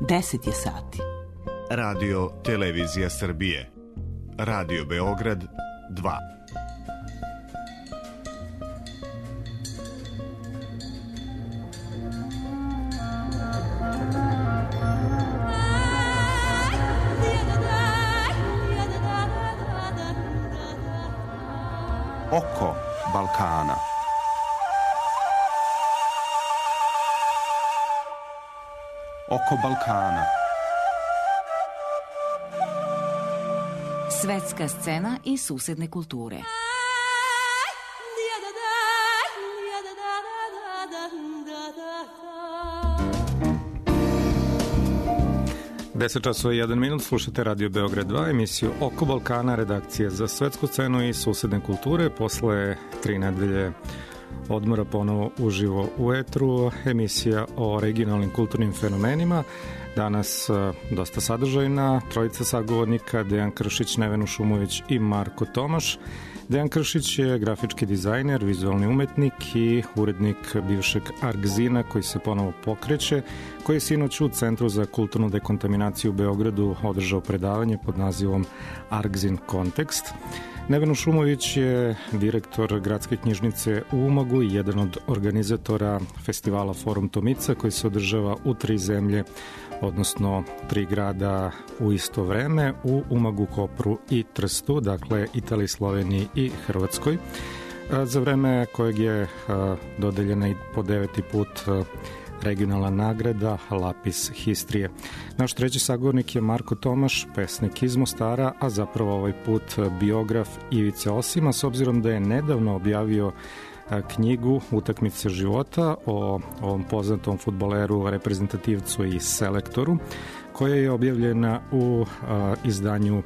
10 je sati. Radio Televizija Srbije. Radio Beograd 2. Oko Balkana. Oko Balkana. Svetska scena i susedne kulture. Deset časova i 1 minut, slušate Radio Beograd 2, emisiju Oko Balkana, redakcije za svetsku scenu i susedne kulture. Posle 3 nedelje odmora ponovo uživo u etru, emisija o regionalnim kulturnim fenomenima. Danas dosta sadržajna, trojica sagovornika, Dejan Kršić, Nevena Šumović i Marko Tomaš. Dejan Kršić je grafički dizajner, vizualni umetnik i urednik bivšeg Argzina koji se ponovo pokreće, koji je sinoć u Centru za kulturnu dekontaminaciju u Beogradu održao predavanje pod nazivom Argzin Kontekst. Nevena Šumović je direktor Gradske knjižnice u Umagu i jedan od organizatora festivala Forum Tomica koji se održava u 3 zemlje, odnosno 3 grada u isto vreme, u Umagu, Kopru i Trstu, dakle Italiji, Sloveniji i Hrvatskoj, za vreme kojeg je dodeljena i po 9. put regionalna nagrada Lapis Histrije. Naš treći sagovornik je Marko Tomaš, pesnik iz Mostara, a zapravo ovaj put biograf Ivice Osima, s obzirom da je nedavno objavio knjigu Utakmice života o ovom poznatom fudbaleru, reprezentativcu i selektoru, koja je objavljena u izdanju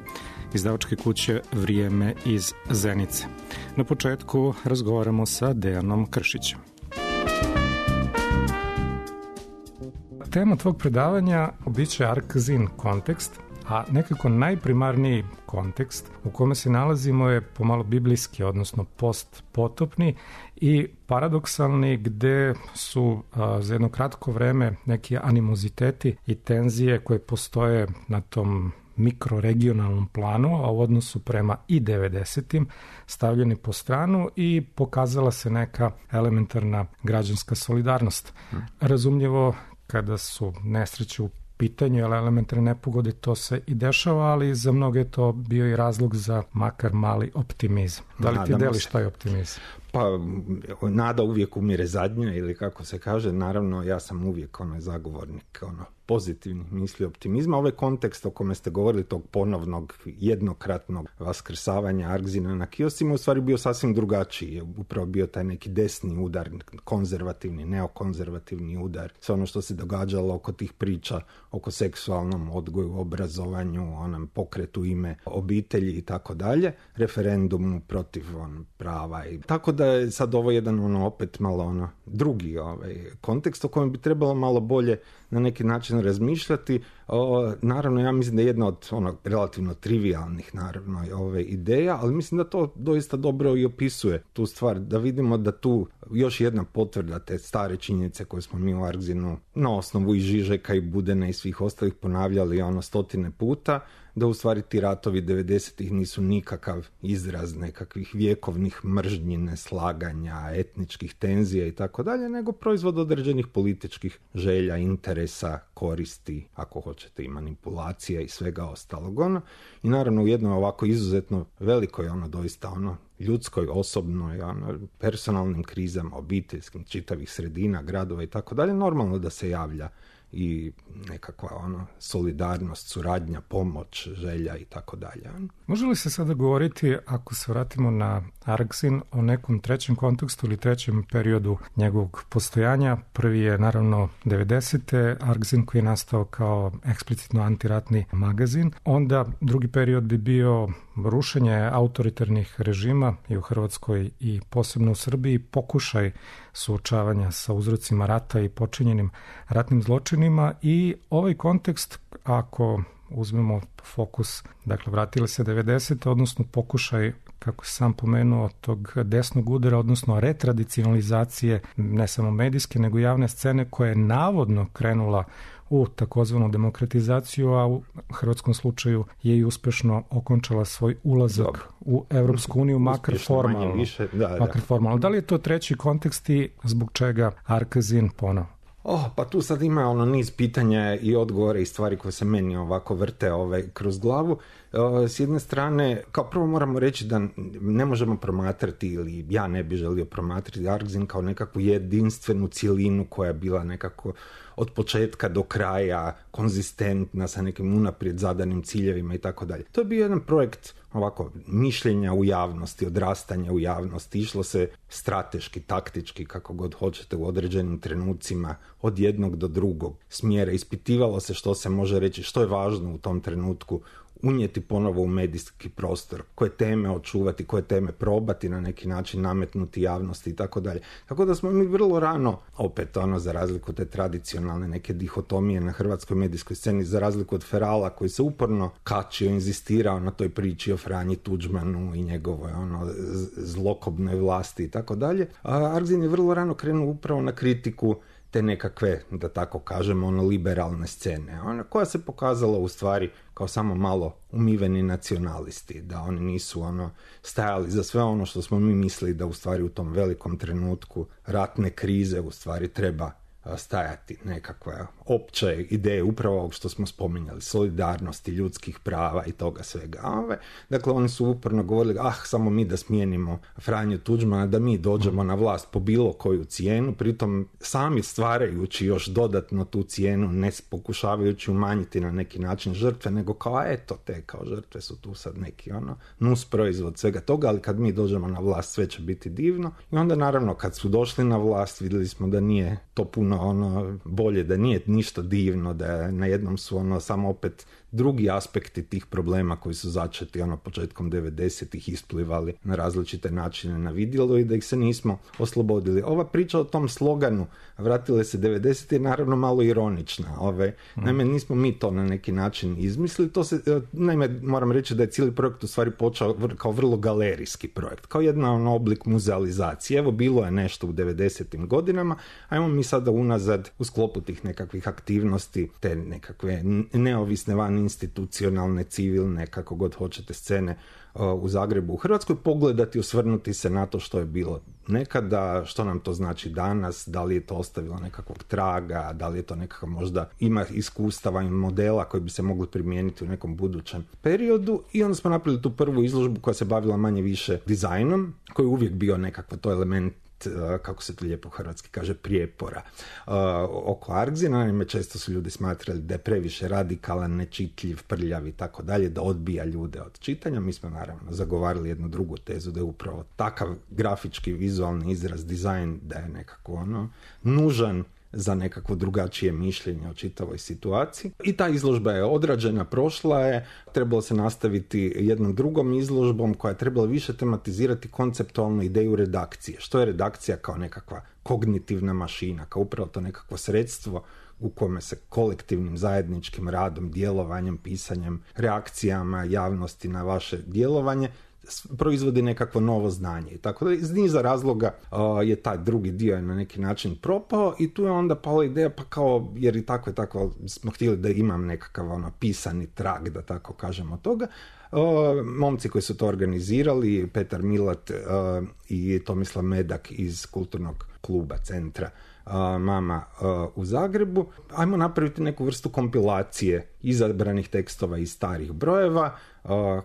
izdavačke kuće Vrijeme iz Zenice. Na početku razgovaramo sa Dejanom Kršićem. Tema tvog predavanja biće Argzin kontekst, a nekako najprimarniji kontekst u kome se nalazimo je pomalo biblijski, odnosno postpotopni i paradoksalni, gde su za jedno kratko vreme neki animoziteti i tenzije koje postoje na tom mikroregionalnom planu, a u odnosu prema i 90-im stavljeni po stranu i pokazala se neka elementarna građanska solidarnost. Razumljivo, kada su nesreće u pitanju, ali elementarne nepogode, to se i dešava, ali za mnoge je to bio i razlog za makar mali optimizam. Da li ti deliš taj optimizam? Pa, nada uvijek umire zadnja, ili kako se kaže, naravno ja sam uvijek zagovornik pozitivnih misli, optimizma. Ovaj kontekst o kome ste govorili, tog ponovnog, jednokratnog vaskrsavanja Argzina na kioscima, u stvari bio sasvim drugačiji. Je upravo bio taj neki desni udar, konzervativni, neokonzervativni udar. Sve ono što se događalo oko tih priča, oko seksualnom odgoju, obrazovanju, onom pokretu ime obitelji i tako dalje, referendumu protiv prava. I tako da je sad ovo jedan opet malo drugi kontekst o kojem bi trebalo malo bolje na neki način razmišljati. Naravno, ja mislim da je jedna od relativno trivialnih naravno ideja, ali mislim da to doista dobro i opisuje tu stvar, da vidimo da tu još jedna potvrda te stare činjenice koje smo mi u Argzinu na osnovu i Žižeka i Budena i svih ostalih ponavljali 100 puta, da u stvari ti ratovi 90-ih nisu nikakav izraz nekakvih vjekovnih mržnji, neslaganja, etničkih tenzija i tako dalje, nego proizvod određenih političkih želja, interesa, koristi, ako hoćete i manipulacija i svega ostalog. I naravno u jednoj ovako izuzetno velikoj, doista ljudskoj, osobnoj, personalnim krizama, obiteljskim, čitavih sredina, gradova i tako dalje, normalno da se javlja i nekakva solidarnost, suradnja, pomoć, želja i tako dalje. Može li se sada govoriti, ako se vratimo na Argzin, o nekom trećem kontekstu ili trećem periodu njegovog postojanja? Prvi je naravno 90. Argzin koji je nastao kao eksplicitno antiratni magazin. Onda drugi period bi bio rušenje autoritarnih režima i u Hrvatskoj i posebno u Srbiji, pokušaj suočavanja sa uzrocima rata i počinjenim ratnim zločinima. I ovaj kontekst, ako uzmemo fokus, dakle vratili se 90. odnosno pokušaj kako sam pomenuo, tog desnog udara, odnosno retradicionalizacije ne samo medijske, nego javne scene koja je navodno krenula u takozvanu demokratizaciju, a u hrvatskom slučaju je i uspešno okončala svoj ulazak u Evropsku uniju, makar formalno. Makar formalno. Da li je to treći kontekst i zbog čega Arkazin ponovo? Pa tu sad ima niz pitanja i odgovore i stvari koje se meni ovako vrte kroz glavu. S jedne strane, kao prvo moramo reći da ne možemo promatrati, ili ja ne bi želio promatrati Arkazin kao nekakvu jedinstvenu cjelinu koja je bila nekako od početka do kraja konzistentna sa nekim unaprijed zadanim ciljevima i tako dalje. To je bio jedan projekt ovako mišljenja u javnosti, odrastanja u javnosti. Išlo se strateški, taktički, kako god hoćete, u određenim trenucima od jednog do drugog smjera. Ispitivalo se što se može reći, što je važno u tom trenutku unijeti ponovo u medijski prostor, koje teme očuvati, koje teme probati na neki način nametnuti javnosti i tako dalje. Tako da smo mi vrlo rano, opet za razliku od te tradicionalne neke dihotomije na hrvatskoj medijskoj sceni, za razliku od Ferala koji se uporno kačio, inzistirao na toj priči o Franji Tuđmanu i njegovoj zlokobnoj vlasti i tako dalje. Arkazin je vrlo rano krenuo upravo na kritiku te nekakve, da tako kažemo, liberalne scene, koja se pokazala u stvari kao samo malo umiveni nacionalisti, da oni nisu stajali za sve ono što smo mi mislili da u stvari u tom velikom trenutku ratne krize u stvari treba stajati nekakve opće ideje upravo ovog što smo spominjali, solidarnosti, ljudskih prava i toga svega. Dakle, oni su uporno govorili, samo mi da smijenimo Franju Tuđmana, da mi dođemo na vlast po bilo koju cijenu, pritom sami stvarajući još dodatno tu cijenu, ne pokušavajući umanjiti na neki način žrtve, nego kao te kao žrtve su tu sad neki nus proizvod svega toga, ali kad mi dođemo na vlast sve će biti divno. I onda naravno kad su došli na vlast vidjeli smo da nije to puno bolje, da nije ništa divno, da najednom su samo opet drugi aspekti tih problema koji su začeti početkom 90-ih isplivali na različite načine na vidjelo i da ih se nismo oslobodili. Ova priča o tom sloganu vratile se 90 je naravno malo ironična. Naime, nismo mi to na neki način izmislili. Naime, moram reći da je cijeli projekt u stvari počeo kao vrlo galerijski projekt, kao jedan oblik muzealizacije. Evo, bilo je nešto u 90-im godinama, ajmo mi sada unazad u sklopu tih nekakvih aktivnosti, te nekakve neovisne van institucionalne, civilne, kako god hoćete, scene u Zagrebu, u Hrvatskoj, pogledati, osvrnuti se na to što je bilo nekada, što nam to znači danas, da li je to ostavilo nekakvog traga, da li je to nekakav možda ima iskustava i modela koji bi se mogli primijeniti u nekom budućem periodu. I onda smo napravili tu prvu izložbu koja se bavila manje više dizajnom, koji je uvijek bio nekakvo to element, kako se to lijepo hrvatski kaže, prijepora oko Arkazina. Naime, često su ljudi smatrali da je previše radikalan, nečitljiv, prljav i tako dalje, da odbija ljude od čitanja. Mi smo naravno zagovarali jednu drugu tezu, da je upravo takav grafički, vizualni izraz, dizajn, da je nekako nužan za nekakvo drugačije mišljenje o čitavoj situaciji. I ta izložba je odrađena, prošla je, trebalo se nastaviti jednom drugom izložbom koja je trebala više tematizirati konceptualnu ideju redakcije. Što je redakcija kao nekakva kognitivna mašina, kao upravo to nekakvo sredstvo u kome se kolektivnim zajedničkim radom, djelovanjem, pisanjem, reakcijama javnosti na vaše djelovanje proizvodi nekakvo novo znanje. I tako da iz niza razloga je taj drugi dio na neki način propao i tu je onda pala ideja, pa kao, jer i tako smo htjeli da imam nekakav pisani trag, da tako kažemo toga. Momci koji su to organizirali, Petar Milat i Tomislav Medak iz kulturnog kluba Centra Mama u Zagrebu, ajmo napraviti neku vrstu kompilacije izabranih tekstova iz starih brojeva.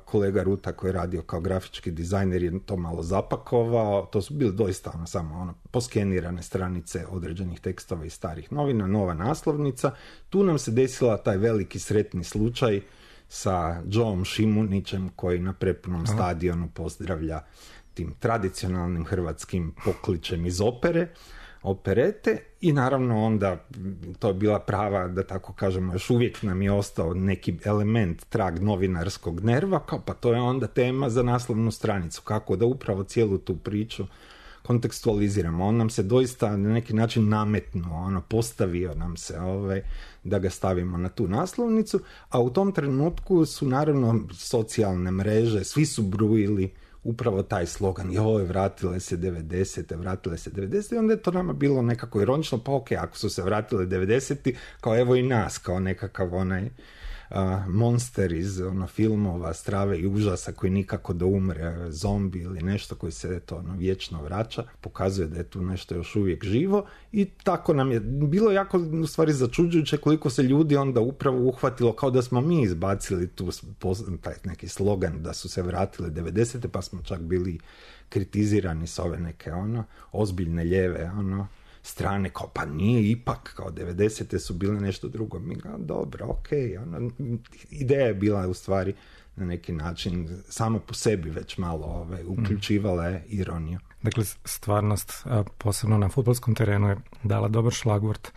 Kolega Ruta koji je radio kao grafički dizajner je to malo zapakovao. To su bili doista samo poskenirane stranice određenih tekstova iz starih novina, nova naslovnica. Tu nam se desila taj veliki sretni slučaj sa Joeom Šimunićem koji na prepunom stadionu pozdravlja tim tradicionalnim hrvatskim pokličem iz operete i naravno onda to je bila prava, da tako kažemo, još uvijek nam je ostao neki element, trag novinarskog nerva, kao pa to je onda tema za naslovnu stranicu, kako da upravo cijelu tu priču kontekstualiziramo. On nam se doista na neki način nametnuo, postavio nam se da ga stavimo na tu naslovnicu, a u tom trenutku su naravno socijalne mreže, svi su brujili upravo taj slogan, joj, vratile se 90. I onda je to nama bilo nekako ironično, pa ok, ako su se vratile 90. kao evo i nas, kao nekakav onaj monster iz filmova strave i užasa koji nikako da umre, zombi ili nešto koji se vječno vraća, pokazuje da je tu nešto još uvijek živo i tako nam je bilo jako u stvari začuđujuće koliko se ljudi onda upravo uhvatilo kao da smo mi izbacili tu taj neki slogan da su se vratile 90. pa smo čak bili kritizirani s ove neke ozbiljne lijeve strane, kao pa nije ipak, kao 90. su bile nešto drugo. Mi ga, dobro, ok, ideja je bila u stvari na neki način samo po sebi već malo uključivala je ironiju. Dakle, stvarnost, posebno na fudbalskom terenu, je dala dobar šlagvort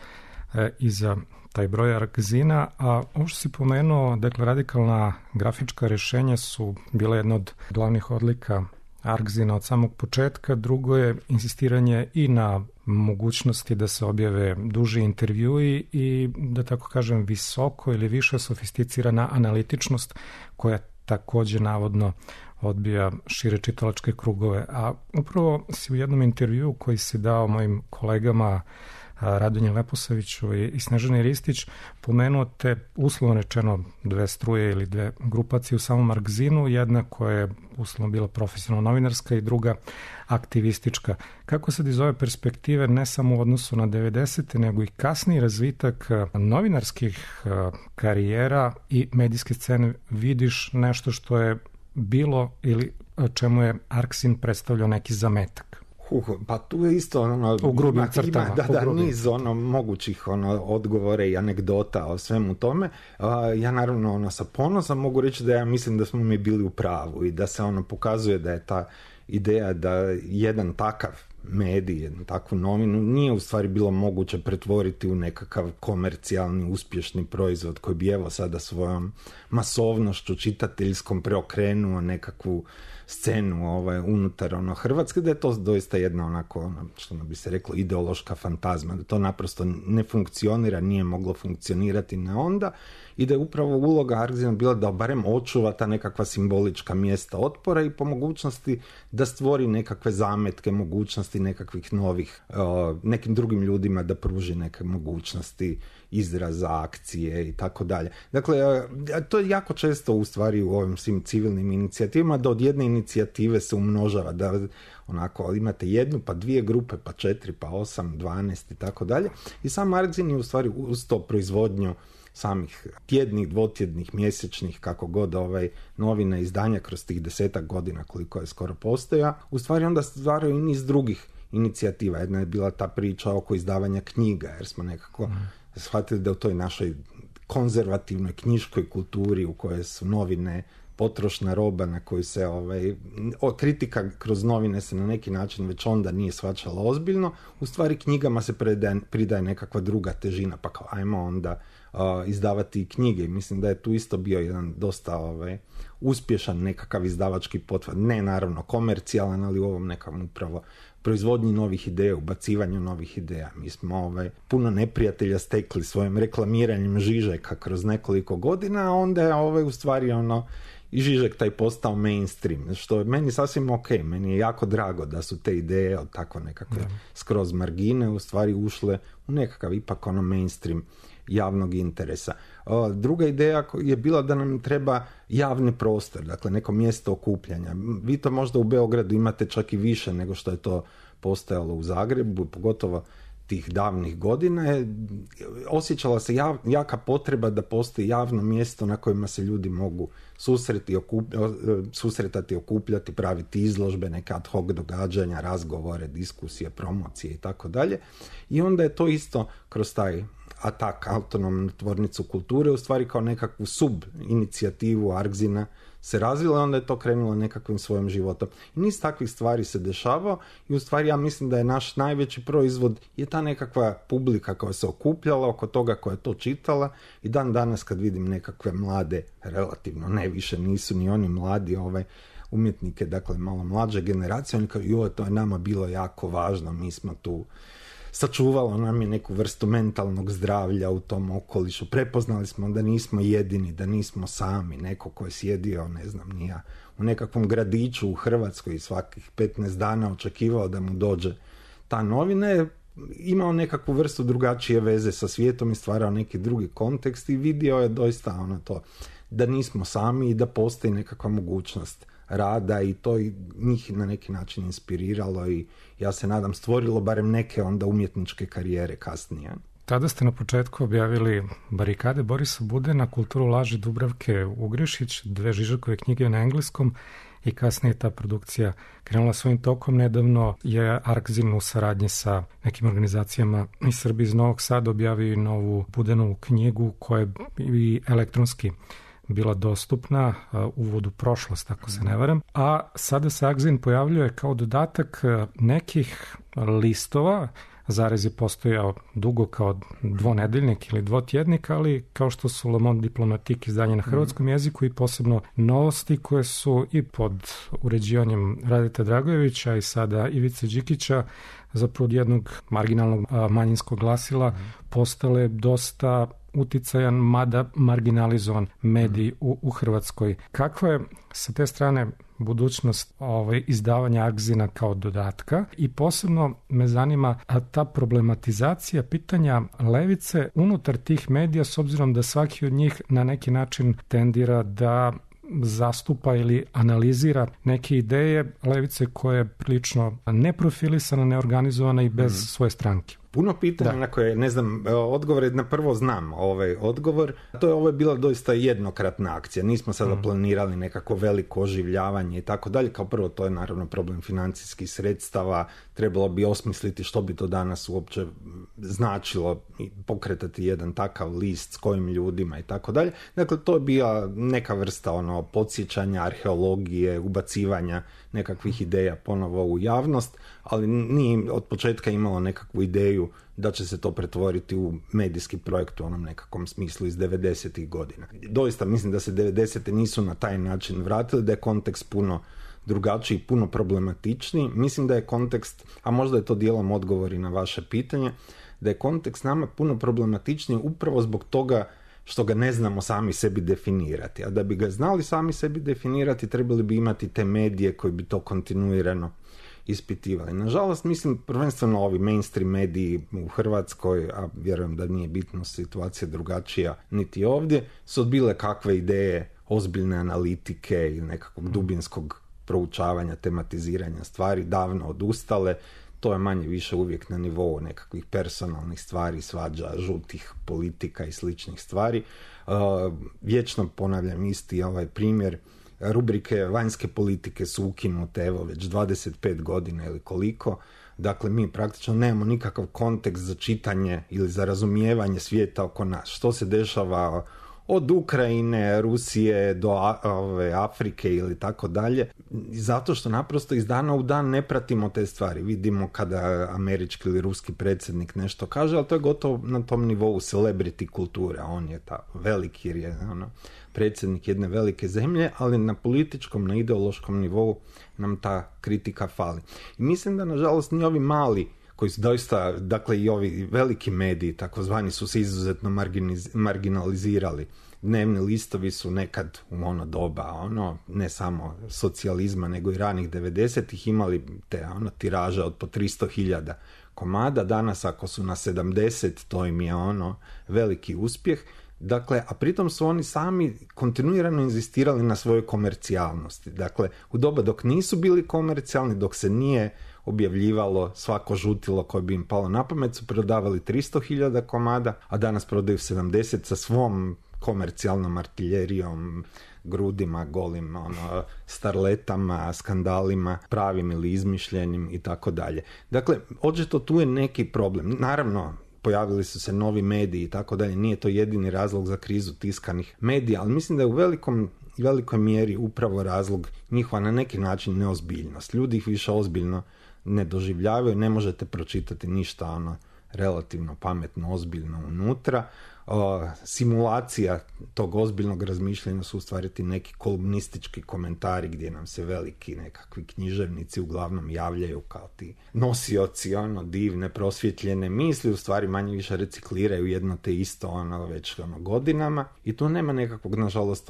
i za taj broj Argzina, a ovo što si pomenuo, dakle, radikalna grafička rješenja su bila jedna od glavnih odlika Argzina od samog početka. Drugo je insistiranje i na mogućnosti da se objave duži intervjui i, da tako kažem, visoko ili više sofisticirana analitičnost koja također navodno odbija šire čitalačke krugove. A upravo si u jednom intervjuu koji si dao mojim kolegama Radonji Leposaviću i Snežani Ristić pomenuo te, uslovno rečeno, dve struje ili dve grupacije u samom Argzinu, jedna koja je uslovno bila profesionalno novinarska i druga aktivistička. Kako sad iz ove perspektive, ne samo u odnosu na 90. nego i kasniji razvitak novinarskih karijera i medijske scene vidiš nešto što je bilo ili čemu je Argzin predstavljao neki zametak? Pa tu je isto u grubim crtama. Niz mogućih odgovore i anegdota o svemu tome. Ja naravno sa ponosom mogu reći da ja mislim da smo mi bili u pravu i da se pokazuje da je ta ideja da jedan takav medij, jednu takvu novinu nije u stvari bilo moguće pretvoriti u nekakav komercijalni, uspješni proizvod koji bi evo sada svojom masovnošću čitateljskom preokrenuo nekakvu scenu unutar Hrvatske, da je to doista jedna što bi se reklo ideološka fantazma, da to naprosto ne funkcionira, nije moglo funkcionirati na onda i da je upravo uloga Argzina bila da barem očuva ta nekakva simbolička mjesta otpora i po mogućnosti da stvori nekakve zametke, mogućnosti nekakvih novih, nekim drugim ljudima da pruži neke mogućnosti izraza, akcije i tako dalje. Dakle, to je jako često u stvari u ovim svim civilnim inicijativama, da od jedne inicijative se umnožava, da imate jednu, pa dvije grupe, pa 4, pa 8, 12 i tako dalje. I sam Argzin je u stvari uz to proizvodnju samih tjednih, dvotjednih, mjesečnih, kako god novina, izdanja kroz tih 10 godina koliko je skoro postoja, u stvari onda stvaraju i niz drugih inicijativa. Jedna je bila ta priča oko izdavanja knjiga, jer smo nekako shvatili da u toj našoj konzervativnoj knjiškoj kulturi u kojoj su novine potrošna roba na koju se kritika kroz novine se na neki način već onda nije shvaćala ozbiljno, u stvari knjigama se pridaje nekakva druga težina, pa kao ajmo onda izdavati knjige. Mislim da je tu isto bio jedan dosta uspješan nekakav izdavački pothvat, ne naravno komercijalan, ali u ovom nekom upravo proizvodnji novih ideja, ubacivanju novih ideja. Mi smo puno neprijatelja stekli svojim reklamiranjem Žižeka kroz nekoliko godina, a onda je u stvari i Žižek taj postao mainstream, što je meni sasvim ok, meni je jako drago da su te ideje od tako nekakve skroz margine u stvari ušle u nekakav ipak mainstream javnog interesa. Druga ideja je bila da nam treba javni prostor, dakle neko mjesto okupljanja. Vi to možda u Beogradu imate čak i više nego što je to postojalo u Zagrebu, pogotovo tih davnih godina. Osjećala se jaka potreba da postoji javno mjesto na kojima se ljudi mogu susretati, okupljati, praviti izložbe, neke ad hoc događanja, razgovore, diskusije, promocije i tako dalje. I onda je to isto kroz taj atak autonomnu tvornicu kulture u stvari kao nekakvu sub-inicijativu Argzina se razvila, onda je to krenulo nekakvim svojim životom. I niz takvih stvari se dešavao i u stvari ja mislim da je naš najveći proizvod je ta nekakva publika koja se okupljala oko toga, koja je to čitala i dan danas kad vidim nekakve mlade, relativno ne više nisu ni oni mladi umjetnike, dakle malo mlađe generacije, oni kažu joj, to je nama bilo jako važno, mi smo tu sačuvalo nam je neku vrstu mentalnog zdravlja u tom okolišu. Prepoznali smo da nismo jedini, da nismo sami, neko ko je sjedio, ne znam, nija u nekakvom gradiću u Hrvatskoj i svakih 15 dana očekivao da mu dođe ta novina, je imao nekakvu vrstu drugačije veze sa svijetom i stvarao neki drugi kontekst i vidio je doista to da nismo sami i da postoji nekakva mogućnost rada i to i njih na neki način inspiriralo i ja se nadam stvorilo barem neke onda umjetničke karijere kasnije. Tada ste na početku objavili Barikade Borisa Budena, Kulturu laži Dubravke Ugrešić, 2 Žižekove knjige na engleskom i kasnije ta produkcija krenula svojim tokom. Nedavno je Arkzin u saradnji sa nekim organizacijama iz Srbije, iz Novog Sada objavio novu Budenovu knjigu koja je i elektronski bila dostupna, Uvod u prošlost, ako se ne varam. A sada se Arkzin pojavljuje kao dodatak nekih listova. Zarez je postojao dugo kao dvonedeljnik ili dvotjednik, ali kao što su Le Monde Diplomatique izdanje na hrvatskom jeziku i posebno novosti koje su i pod uređivanjem Radeta Dragojevića i sada Ivice Đikića zapravo od jednog marginalnog manjinskog glasila postale dosta uticajan, mada marginalizovan medij u Hrvatskoj. Kakva je sa te strane budućnost izdavanja Arkzina kao dodatka i posebno me zanima ta problematizacija pitanja levice unutar tih medija, s obzirom da svaki od njih na neki način tendira da zastupa ili analizira neke ideje levice koje je prilično neprofilisana, neorganizovana i bez svoje stranke. Puno pitanja na koje, ne znam, odgovor na prvo znam ovaj odgovor. Ovo je bila doista jednokratna akcija. Nismo sada planirali nekako veliko oživljavanje i tako dalje. Kao prvo, to je naravno problem financijskih sredstava. Trebalo bi osmisliti što bi to danas uopće značilo pokretati jedan takav list s kojim ljudima i tako dalje. Dakle, to je bila neka vrsta podsjećanja, arheologije, ubacivanja nekakvih ideja ponovo u javnost, ali nije od početka imalo nekakvu ideju da će se to pretvoriti u medijski projekt u onom nekakvom smislu iz 90-ih godina. Doista mislim da se 90-te nisu na taj način vratili, da je kontekst puno drugačiji, puno problematičniji. Mislim da je kontekst, a možda je to dijelom odgovori na vaše pitanje, da je kontekst nama puno problematičniji upravo zbog toga što ga ne znamo sami sebi definirati. A da bi ga znali sami sebi definirati, trebali bi imati te medije koji bi to kontinuirano ispitivali. Nažalost, mislim, prvenstveno ovi mainstream mediji u Hrvatskoj, a vjerujem da nije bitno situacija drugačija niti ovdje, su odbile kakve ideje ozbiljne analitike ili nekakvog dubinskog proučavanja, tematiziranja stvari, davno odustale. To je manje više uvijek na nivou nekakvih personalnih stvari, svađa, žutih politika i sličnih stvari. Vječno ponavljam isti ovaj primjer. Rubrike vanjske politike su ukinute evo već 25 godina ili koliko. Dakle, mi praktično nemamo nikakav kontekst za čitanje ili za razumijevanje svijeta oko nas. Što se dešava od Ukrajine, Rusije do Afrike ili tako dalje. Zato što naprosto iz dana u dan ne pratimo te stvari. Vidimo kada američki ili ruski predsjednik nešto kaže, ali to je gotovo na tom nivou celebrity kulture. On je ta veliki, jer je predsjednik jedne velike zemlje, ali na političkom, na ideološkom nivou nam ta kritika fali. I mislim da, nažalost, ni ovi mali koji su doista, dakle i ovi veliki mediji, takozvani, su se izuzetno marginalizirali. Dnevni listovi su nekad u ono doba, ne samo socijalizma, nego i ranih 90-ih imali te tiraže od po 300.000 komada. Danas, ako su na 70, to im je veliki uspjeh. Dakle, a pritom su oni sami kontinuirano inzistirali na svojoj komercijalnosti. Dakle, u doba dok nisu bili komercijalni, dok se nije objavljivalo svako žutilo koje bi im palo na pamet, su prodavali 300.000 komada, a danas prodaju 70 sa svom komercijalnom artiljerijom, grudima, golim, starletama, skandalima, pravim ili izmišljenim i tako dalje. Dakle, očito tu je neki problem. Naravno, pojavili su se novi mediji i tako dalje, nije to jedini razlog za krizu tiskanih medija, ali mislim da je u velikoj mjeri upravo razlog njihova na neki način neozbiljnost. Ljudi ih više ozbiljno ne doživljavaju, ne možete pročitati ništa relativno pametno, ozbiljno unutra. simulacija tog ozbiljnog razmišljanja su u stvari ti neki kolumnistički komentari gdje nam se veliki nekakvi književnici uglavnom javljaju kao ti nosioci divne prosvjetljene misli, u stvari manje više recikliraju jedno te isto već godinama i tu nema nekakvog nažalost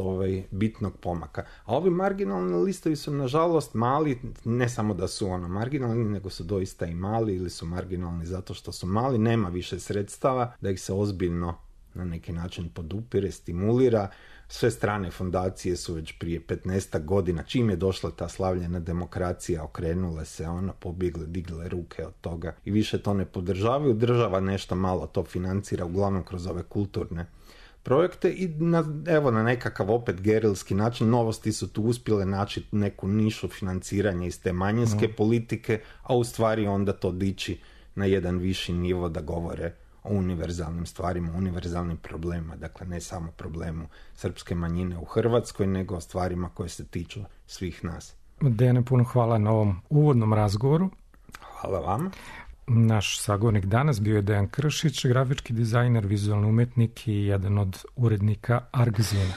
bitnog pomaka. A ovi marginalni listovi su nažalost mali, ne samo da su marginalni, nego su doista i mali ili su marginalni zato što su mali, nema više sredstava da ih se ozbiljno na neki način podupire, stimulira. Sve strane fondacije su već prije 15 godina, čim je došla ta slavljena demokracija, okrenule se, pobjegle, digle ruke od toga i više to ne podržavaju. Država nešto malo to financira, uglavnom kroz ove kulturne projekte i na nekakav opet gerilski način Novosti su tu uspjele naći neku nišu financiranja iz te manjinske politike, a u stvari onda to dići na jedan viši nivo da govore o univerzalnim stvarima, univerzalnim problemima, dakle ne samo problemu srpske manjine u Hrvatskoj, nego o stvarima koje se tiču svih nas. Dejane, puno hvala na ovom uvodnom razgovoru. Hvala vama. Naš sagovornik danas bio je Dejan Kršić, grafički dizajner, vizualni umetnik i jedan od urednika Argzina.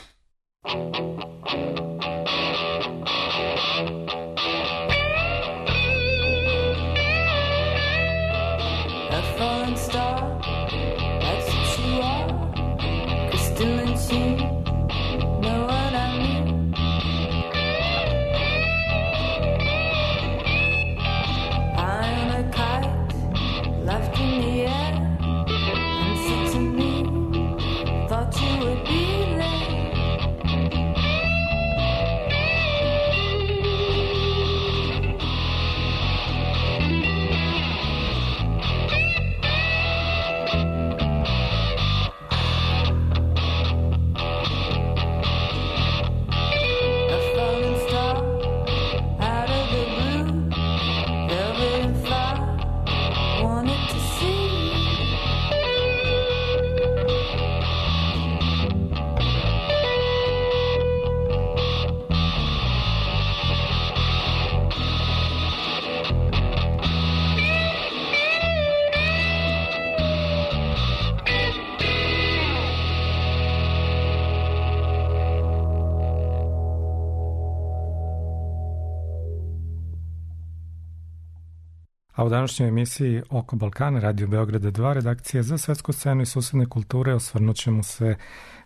A u današnjoj emisiji Oko Balkana, Radio Beograda 2, redakcija za svetsku scenu i susedne kulture, osvrnut ćemo se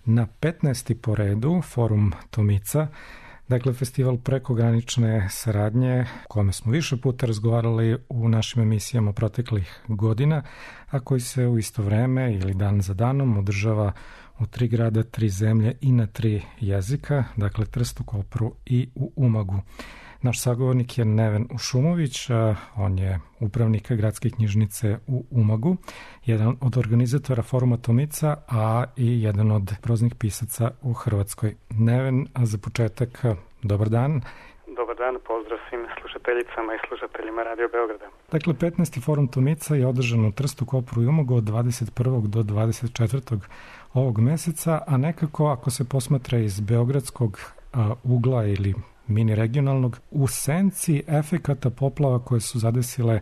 na 15. po redu Forum Tomica, dakle festival prekogranične saradnje o kome smo više puta razgovarali u našim emisijama proteklih godina, a koji se u isto vreme ili dan za danom održava u 3 grada, 3 zemlje i na 3 jezika, dakle Trstu, Kopru i u Umagu. Naš sagovornik je Neven Ušumović, on je upravnik gradske knjižnice u Umagu, jedan od organizatora Foruma Tomica, a i jedan od proznih pisaca u Hrvatskoj. Neven, a za početak, dobar dan. Dobar dan, pozdrav svim slušateljicama i slušateljima Radio Beograda. Dakle, 15. Forum Tomica je održan u Trstu, Kopru i Umagu od 21. do 24. ovog meseca, a nekako ako se posmatra iz beogradskog ugla ili mini regionalnog, u senci efekata poplava koje su zadesile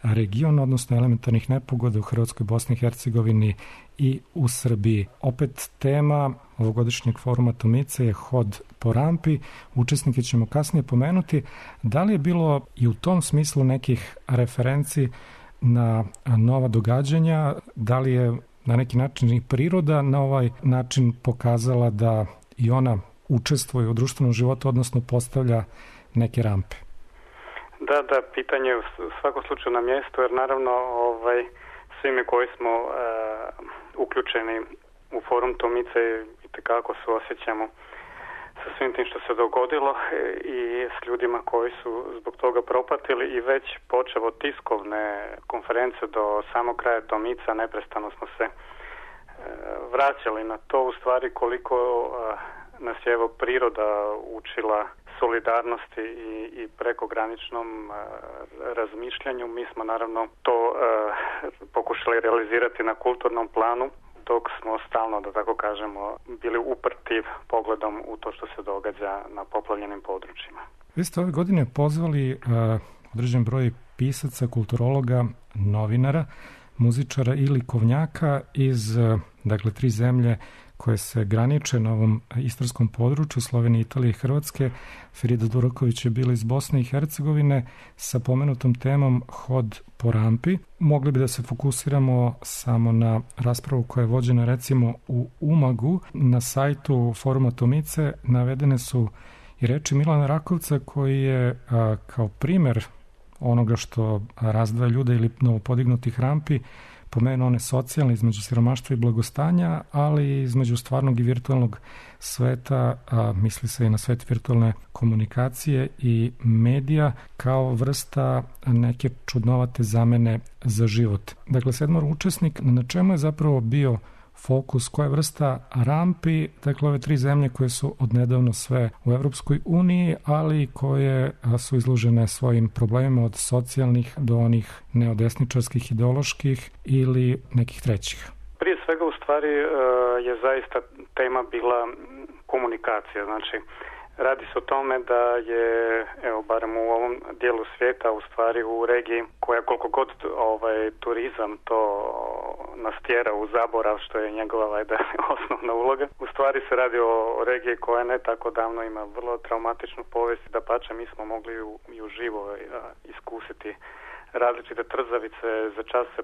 region, odnosno elementarnih nepogoda u Hrvatskoj, Bosni i Hercegovini i u Srbiji. Opet tema ovogodišnjeg Foruma Tomice je hod po rampi. Učesnike ćemo kasnije pomenuti. Da li je bilo i u tom smislu nekih referenci na nova događanja? Da li je na neki način i priroda na ovaj način pokazala da i ona učestvuje u društvenom životu, odnosno postavlja neke rampe? Da, pitanje je u svakom slučaju na mjestu, jer naravno svi mi koji smo uključeni u Forum Tomice itekako suosjećamo sa svim tim što se dogodilo i s ljudima koji su zbog toga propatili i već počevo tiskovne konferencije do samog kraja Tomica neprestano smo se vraćali na to, u stvari koliko nas je evo priroda učila solidarnosti i prekograničnom razmišljanju. Mi smo naravno to pokušali realizirati na kulturnom planu, dok smo stalno, da tako kažemo, bili uprti pogledom u to što se događa na poplavljenim područjima. Vi ste ove godine pozvali određen broj pisaca, kulturologa, novinara muzičara i likovnjaka iz, dakle, 3 zemlje koje se graniče na ovom istarskom području, Slovenije, Italije i Hrvatske. Frida Duraković je bila iz Bosne i Hercegovine sa pomenutom temom Hod po rampi. Mogli bi da se fokusiramo samo na raspravu koja je vođena recimo u Umagu. Na sajtu Foruma Tomice navedene su i reči Milana Rakovca koji je kao primer onoga što razdvaja ljude ili novopodignutih rampi pomenuo one socijalne između siromaštva i blagostanja, ali između stvarnog i virtualnog sveta, misli se i na svet virtualne komunikacije i medija kao vrsta neke čudnovate zamene za život. Dakle, 7 učesnik, na čemu je zapravo bio fokus, koja vrsta rampi, dakle ove 3 zemlje koje su odnedavno sve u Evropskoj uniji, ali koje su izložene svojim problemima od socijalnih do onih neodesničarskih, ideoloških ili nekih trećih? Prije svega u stvari je zaista tema bila komunikacija, znači radi se o tome da je, evo, barem u ovom dijelu svijeta, u stvari u regiji koja koliko god turizam to nas tjera u zaborav, što je njegova osnovna uloga. U stvari se radi o regiji koja ne tako davno ima vrlo traumatičnu povijest, dapače mi smo mogli i uživo iskusiti različite trzavice, za čas se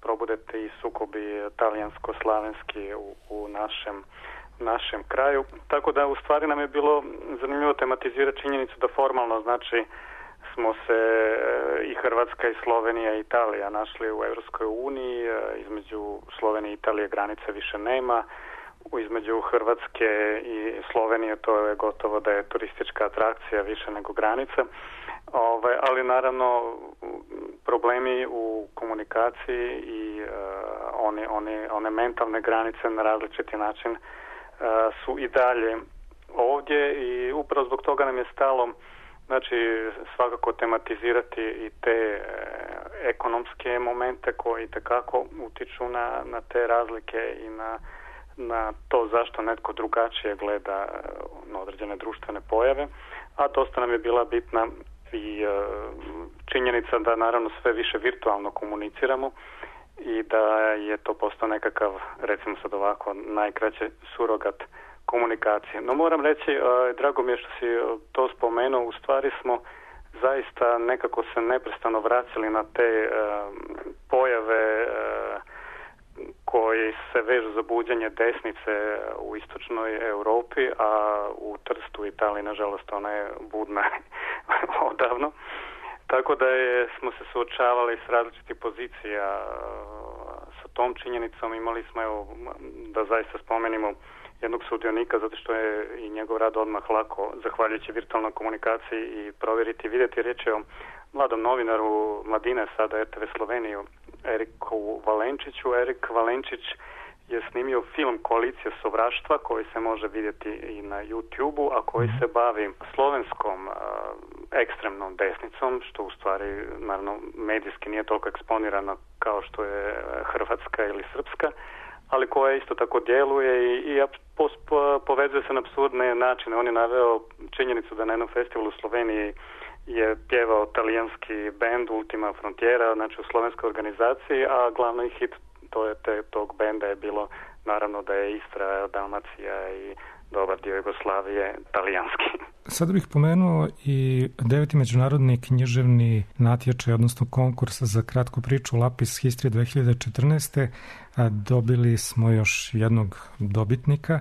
probude i sukobi talijansko-slavenski u našem kraju. Tako da u stvari nam je bilo zanimljivo tematizirati činjenicu da formalno, znači, smo se i Hrvatska i Slovenija i Italija našli u Europskoj uniji. Između Slovenije i Italije granice više nema. Između Hrvatske i Slovenije to je gotovo da je turistička atrakcija više nego granica. Ali naravno problemi u komunikaciji i one mentalne granice na različiti način su i dalje ovdje i upravo zbog toga nam je stalo, znači, svakako tematizirati i te ekonomske momente koji itekako utiču na te razlike i na to zašto netko drugačije gleda na određene društvene pojave, a dosta nam je bila bitna i činjenica da naravno sve više virtualno komuniciramo i da je to postao nekakav, recimo sad ovako, najkraće surogat komunikacije. No moram reći, drago mi je što si to spomenuo, u stvari smo zaista nekako se neprestano vraćali na te pojave koji se vežu za buđenje desnice u istočnoj Europi, a u Trstu u Italiji, nažalost, ona je budna odavno. Tako da smo se suočavali s različitih pozicija sa tom činjenicom. Imali smo, evo, da zaista spomenimo jednog sudionika, zato što je i njegov rad odmah lako, zahvaljujući virtualnoj komunikaciji, i provjeriti i vidjeti. Riječ je o mladom novinaru Mladine, sada RTV Sloveniju, Eriku Valenčiću. Erik Valenčić je snimio film Koalicija sovraštva koji se može vidjeti i na YouTube-u, a koji se bavi slovenskom ekstremnom desnicom, što u stvari naravno medijski nije toliko eksponirano kao što je hrvatska ili srpska, ali koja isto tako djeluje i povezuje se na apsurdne načine. On je naveo činjenicu da na jednom festivalu u Sloveniji je pjevao talijanski bend Ultima Frontiera, znači u slovenskoj organizaciji, a glavni hit tog benda je bilo naravno da je Istra, Dalmacija i dobar dio Jugoslavije talijanski. Sada bih pomenuo i 9. međunarodni književni natječaj, odnosno konkurs za kratku priču Lapis History 2014. Dobili smo još jednog dobitnika,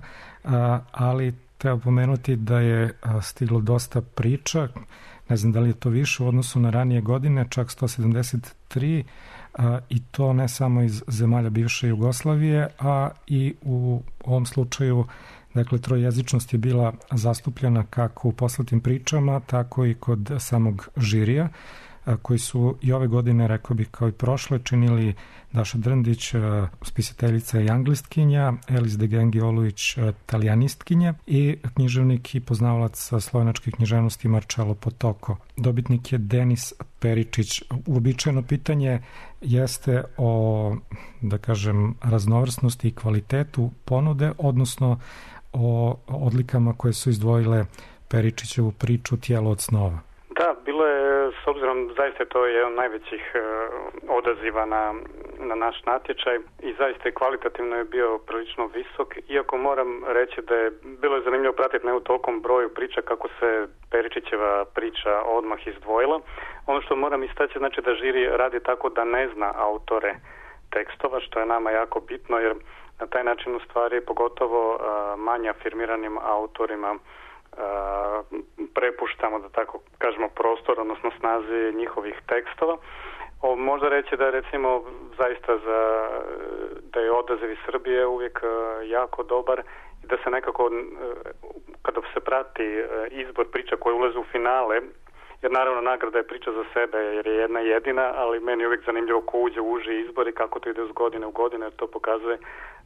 ali treba pomenuti da je stiglo dosta priča, ne znam da li je to više u odnosu na ranije godine, čak 173, i to ne samo iz zemalja bivše Jugoslavije, a i u ovom slučaju, dakle, trojezičnost je bila zastupljena kako u poslatim pričama, tako i kod samog žirija, koji su i ove godine, rekao bih kao i prošle, činili Daša Drndić, spisateljica i anglistkinja, Elis de Gengi-Olujić, talijanistkinja, i književnik i poznavalac slovenačke književnosti Marcello Potoko. Dobitnik je Denis Peričić. Uobičajeno pitanje jeste o, da kažem, raznovrsnosti i kvalitetu ponude, odnosno o odlikama koje su izdvojile Peričićevu priču Tijelo od snova. Da, bilo je, s obzirom, zaista to je jedan od najvećih odaziva na naš natječaj i zaista i kvalitativno je bio prilično visok, iako moram reći da je bilo zanimljivo pratiti ne u tolikom broju priča kako se Peričićeva priča odmah izdvojila. Ono što moram istaći znači da žiri radi tako da ne zna autore tekstova, što je nama jako bitno, jer na taj način u stvari pogotovo manje afirmiranim autorima prepuštamo, da tako kažemo, prostor, odnosno snazi njihovih tekstova. Možda reći da je recimo zaista da je odaziv iz Srbije uvijek jako dobar i da se nekako kada se prati izbor priča koje ulaze u finale, jer naravno nagrada je priča za sebe jer je jedna jedina, ali meni je uvijek zanimljivo ko uđe u uži izbor i kako to ide uz godine u godine, jer to pokazuje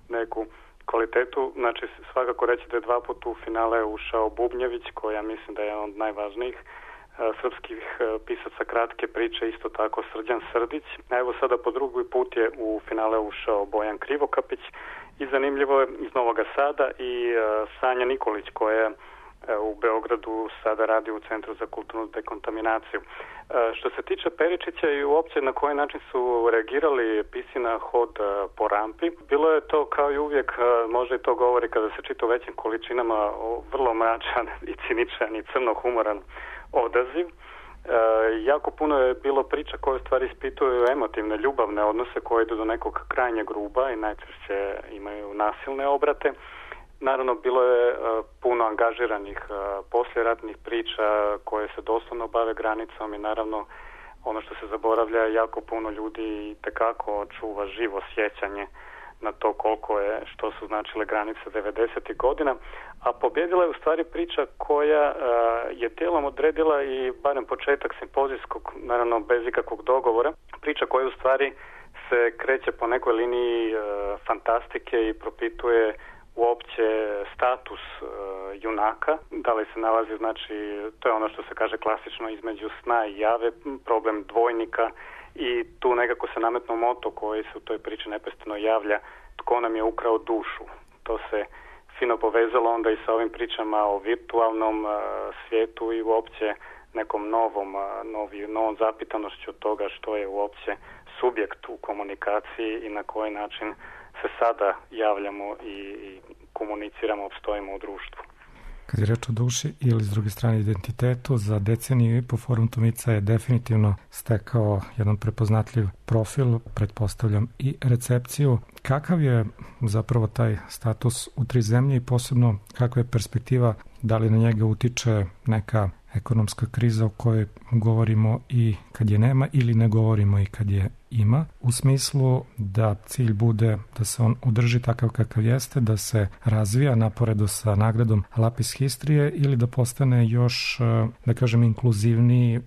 neku kvalitetu. Znači svakako reći da je 2 puta u finale ušao Bubnjević, koja mislim da je jedan od najvažnijih srpskih pisaca kratke priče, isto tako Srđan Srdić. A evo sada po drugi put je u finale ušao Bojan Krivokapić i zanimljivo je iz Novoga Sada i Sanja Nikolić, koja u Beogradu sada radi u Centru za kulturnu dekontaminaciju. Što se tiče Peričića i uopće na koji način su reagirali pisci na hod po rampi, bilo je to kao i uvijek, možda i to govori kada se čita u većim količinama, vrlo mračan i ciničan i crnohumoran odaziv. Jako puno je bilo priča koje u stvari ispituju emotivne, ljubavne odnose koje idu do nekog krajnjeg ruba i najčešće imaju nasilne obrate. Naravno, bilo je puno angažiranih poslijeratnih priča koje se doslovno bave granicom i naravno ono što se zaboravlja, jako puno ljudi itekako čuva živo sjećanje na to koliko je, što su značile granice 90. godina, a pobjedila je u stvari priča koja je dijelom odredila i barem početak simpozijskog, naravno bez ikakvog dogovora, priča koja u stvari se kreće po nekoj liniji fantastike i propituje uopće status junaka, da li se nalazi, znači, to je ono što se kaže klasično između sna i jave, problem dvojnika i tu nekako se nametno moto koji se u toj priči neprestano javlja, tko nam je ukrao dušu. To se fino povezalo onda i sa ovim pričama o virtualnom svijetu i uopće nekom novom zapitanošću toga što je uopće subjekt u komunikaciji i na koji način se sada javljamo i komuniciramo, opstojimo u društvu. Kad je reč o duši ili s druge strane identitetu, za deceniju i po Forum Tomica je definitivno stekao jedan prepoznatljiv profil, pretpostavljam i recepciju. Kakav je zapravo taj status u 3 zemlje i posebno kakva je perspektiva, da li na njega utiče neka ekonomska kriza o kojoj govorimo i kad je nema ili ne govorimo i kad je ima, u smislu da cilj bude da se on održi takav kakav jeste, da se razvija naporedo sa nagradom Lapis Histrije ili da postane još, da kažem, inkluzivniji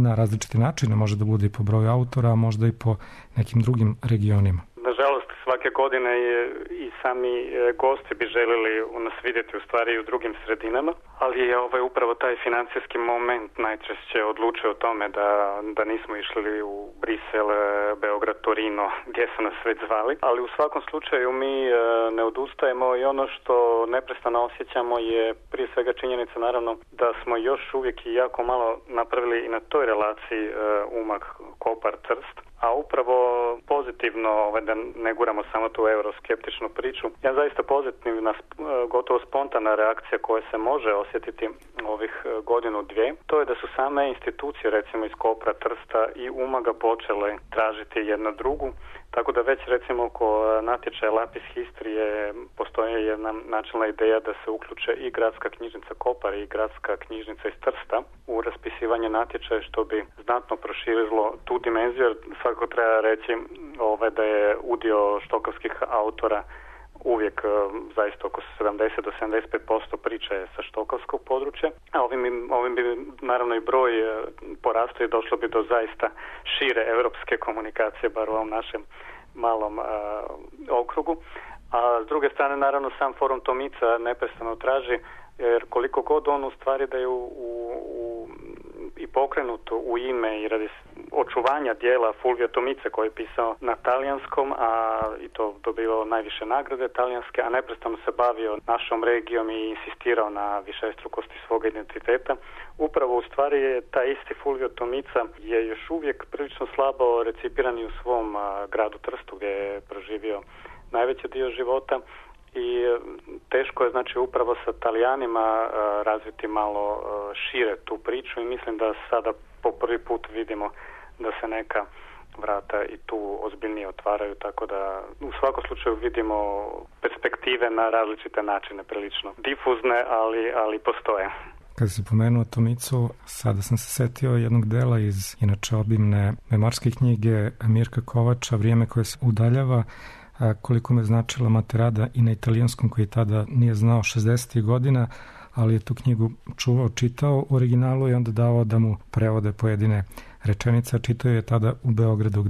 na različite načine, može da bude i po broju autora, a možda i po nekim drugim regionima. Nažalost, svake godine i sami gosti bi željeli nas vidjeti u stvari i u drugim sredinama, ali je upravo taj financijski moment najčešće odlučio o tome da nismo išli u Brisel, Beograd, Torino, gdje su nas već zvali, ali u svakom slučaju mi ne odustajemo i ono što neprestano osjećamo je prije svega činjenica naravno da smo još uvijek i jako malo napravili i na toj relaciji Umag, Kopar, Trst, a upravo pozitivno, da ne guramo samo tu euroskeptičnu priču, ja zaista pozitivna, gotovo spontana reakcija koja se može osjetiti ovih godinu, dvije, to je da su same institucije, recimo iz Kopra, Trsta i Umaga počele tražiti jedna drugu, tako da već recimo oko natječaja Lapis Histrije postoji jedna načelna ideja da se uključe i gradska knjižnica Kopar i gradska knjižnica iz Trsta u raspisivanje natječaja, što bi znatno proširilo tu dimenziju, jer svakako treba reći da je udio štokavskih autora uvijek zaista oko 70 do 75% priče je sa štokavskog područja, a ovim bi naravno i broj porastao i došlo bi do zaista šire europske komunikacije, bar u ovom našem malom okrugu. A s druge strane, naravno, sam Forum Tomica neprestano traži, jer koliko god on u stvari da je u i pokrenuto u ime i radi očuvanja dijela Fulvio Tomice koji je pisao na talijanskom, a i to dobivao najviše nagrade talijanske, a neprestano se bavio našom regijom i insistirao na višestrukosti svog identiteta. Upravo u stvari je taj isti Fulvio Tomica je još uvijek prilično slabo recipiran i u svom gradu Trstu gdje je proživio najveći dio života. I teško je znači upravo sa Talijanima razviti malo šire tu priču i mislim da sada po prvi put vidimo da se neka vrata i tu ozbiljnije otvaraju, tako da u svakom slučaju vidimo perspektive na različite načine, prilično difuzne, ali postoje. Kada si pomenuo Tomicu, sada sam se setio jednog dela iz inače obimne memorske knjige Mirka Kovača Vrijeme koje se udaljava, koliko me značila Materada i na italijanskom koji tada nije znao 60. godina, ali je tu knjigu čuvao, čitao u originalu i onda davao da mu prevode pojedine rečenice, čitao je tada u Beogradu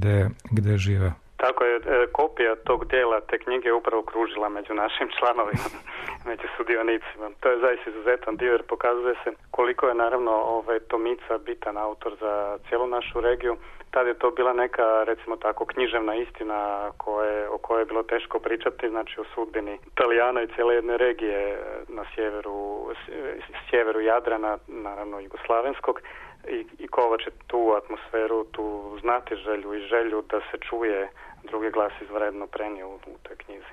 gde je živeo. Tako je, kopija tog dijela te knjige je upravo kružila među našim članovima, među sudionicima. To je zaista izuzetan dio jer pokazuje se koliko je naravno Tomica bitan autor za cijelu našu regiju. Tad je to bila neka, recimo tako, književna istina o kojoj je bilo teško pričati, znači o sudbini Italijana i cijele jedne regije na sjeveru Jadrana, naravno jugoslavenskog. I Kovač je tu atmosferu, tu znatiželju i želju da se čuje drugi glas izvanredno prenio u toj knjizi.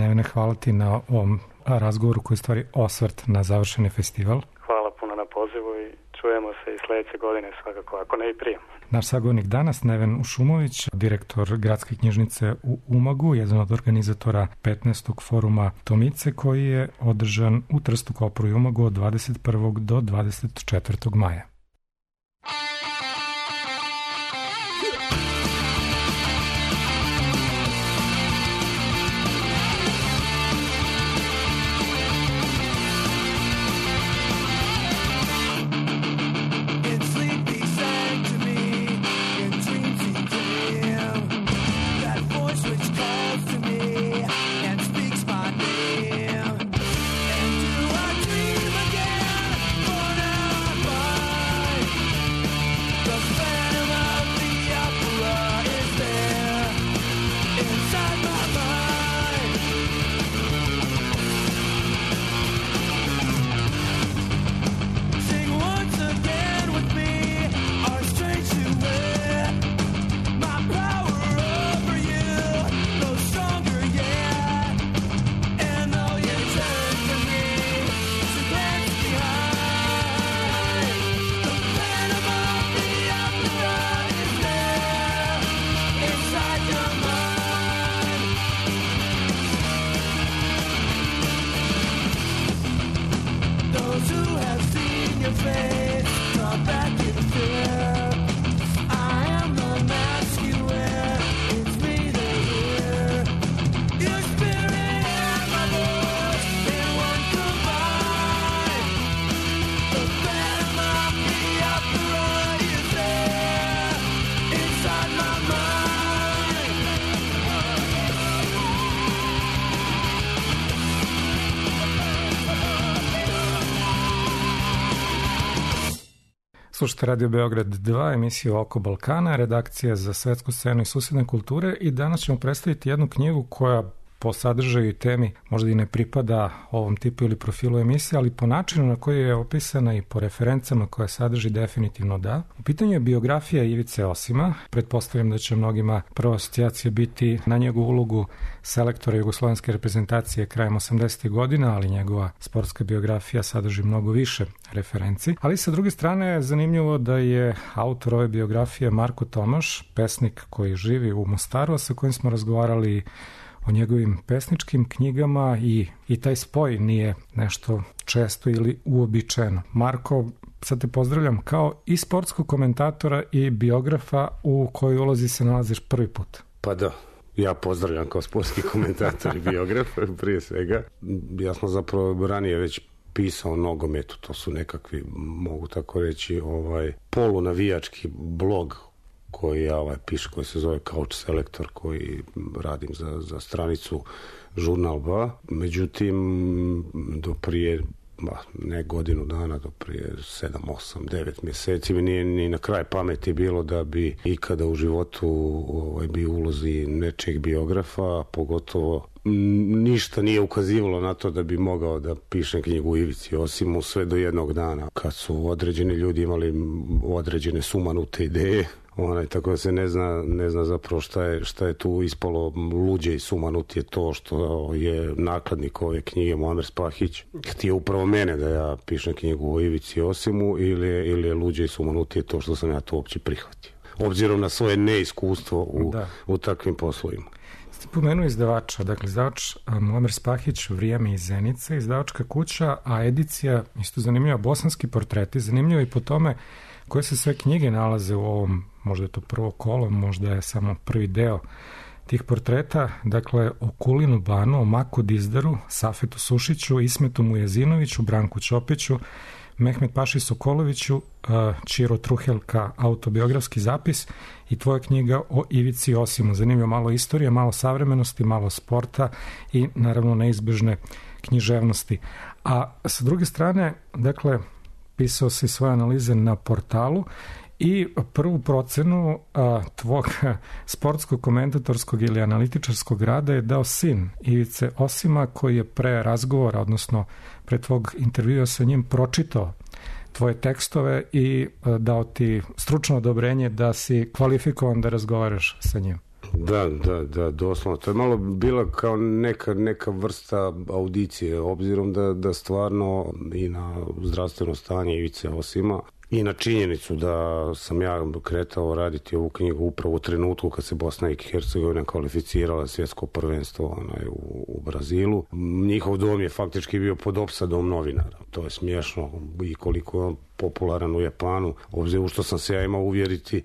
Nevene, hvala ti na ovom razgovoru koji je stvari osvrt na završeni festival. Hvala puno na pozivu i čujemo se i sljedeće godine svakako, ako ne i prije. Naš sagovornik danas, Neven Ušumović, direktor Gradske knjižnice u Umagu, jedan od organizatora 15. foruma Tomice koji je održan u Trstu, Kopru i Umagu od 21. do 24. maja. Slušajte Radio Beograd 2, emisiju Oko Balkana, redakcija za svetsku scenu i susedne kulture i danas ćemo predstaviti jednu knjigu koja po sadržaju i temi možda i ne pripada ovom tipu ili profilu emisije, ali po načinu na koji je opisana i po referencama koje sadrži definitivno da. U pitanju je biografija Ivice Osima. Pretpostavljam da će mnogima prva asocijacija biti na njegovu ulogu selektora jugoslovenske reprezentacije krajem 80. godina, ali njegova sportska biografija sadrži mnogo više referenci. Ali sa druge strane je zanimljivo da je autor ove biografije Marko Tomaš, pesnik koji živi u Mostaru, a sa kojim smo razgovarali o njegovim pesničkim knjigama i taj spoj nije nešto često ili uobičajeno. Marko, sad te pozdravljam kao i sportskog komentatora i biografa u kojoj ulozi se nalaziš prvi put. Pa da, ja pozdravljam kao sportski komentator i biograf prije svega. Ja sam zapravo ranije već pisao o nogometu, to su nekakvi, mogu tako reći, polunavijački blog koji ja piše, koji se zove Couch Selektor, koji radim za stranicu Žurnal 2. Međutim, do prije ne godinu dana, do prije 7, 8, 9 mjeseci mi nije ni na kraj pameti bilo da bi ikada u životu bi ulozi nečeg biografa, pogotovo ništa nije ukazivalo na to da bi mogao da pišem knjigu Ivici Osimu, sve do jednog dana kad su određeni ljudi imali određene sumanute ideje. Tako da se ne zna zapravo šta je tu ispalo luđe i sumanut je to što je nakladnik ove knjige Muamer Spahić htio upravo mene da ja pišem knjigu o Ivici Osimu ili je luđe i sumanut je to što sam ja to uopće prihvatio. Obzirom na svoje neiskustvo u takvim poslovima. Ste pomenuo izdavača, dakle izdavač Muamer Spahić, Vrijeme iz Zenice, izdavačka kuća, a edicija, isto zanimljiva, Bosanski portreti, zanimljivo i po tome koje se sve knjige nalaze u ovom, možda je to prvo kolo, možda je samo prvi deo tih portreta, dakle o Kulinu Banu, o Maku Dizdaru, Safetu Sušiću, Ismetu Mujezinoviću, Branku Ćopiću, Mehmet Paši Sokoloviću, Čiro Truhelka, autobiografski zapis i tvoja knjiga o Ivici Osimu. Zanimljivo, malo istorije, malo savremenosti, malo sporta i naravno neizbežne književnosti. A sa druge strane, dakle, pisao si svoje analize na portalu i prvu procenu tvog sportskog, komentatorskog ili analitičarskog rada je dao sin Ivice Osima, koji je pre razgovora, odnosno pre tvog intervjua sa njim, pročitao tvoje tekstove i dao ti stručno odobrenje da si kvalifikovan da razgovaraš sa njim. Da, doslovno. To je malo bila kao neka vrsta audicije, obzirom da stvarno i na zdravstveno stanje Ivice Osima i na činjenicu da sam ja kretao raditi ovu knjigu upravo u trenutku kad se Bosna i Hercegovina kvalificirala svjetsko prvenstvo u Brazilu. Njihov dom je faktički bio pod opsadom novinara. To je smiješno i koliko je on popularan u Japanu, obzirom što sam se ja imao uvjeriti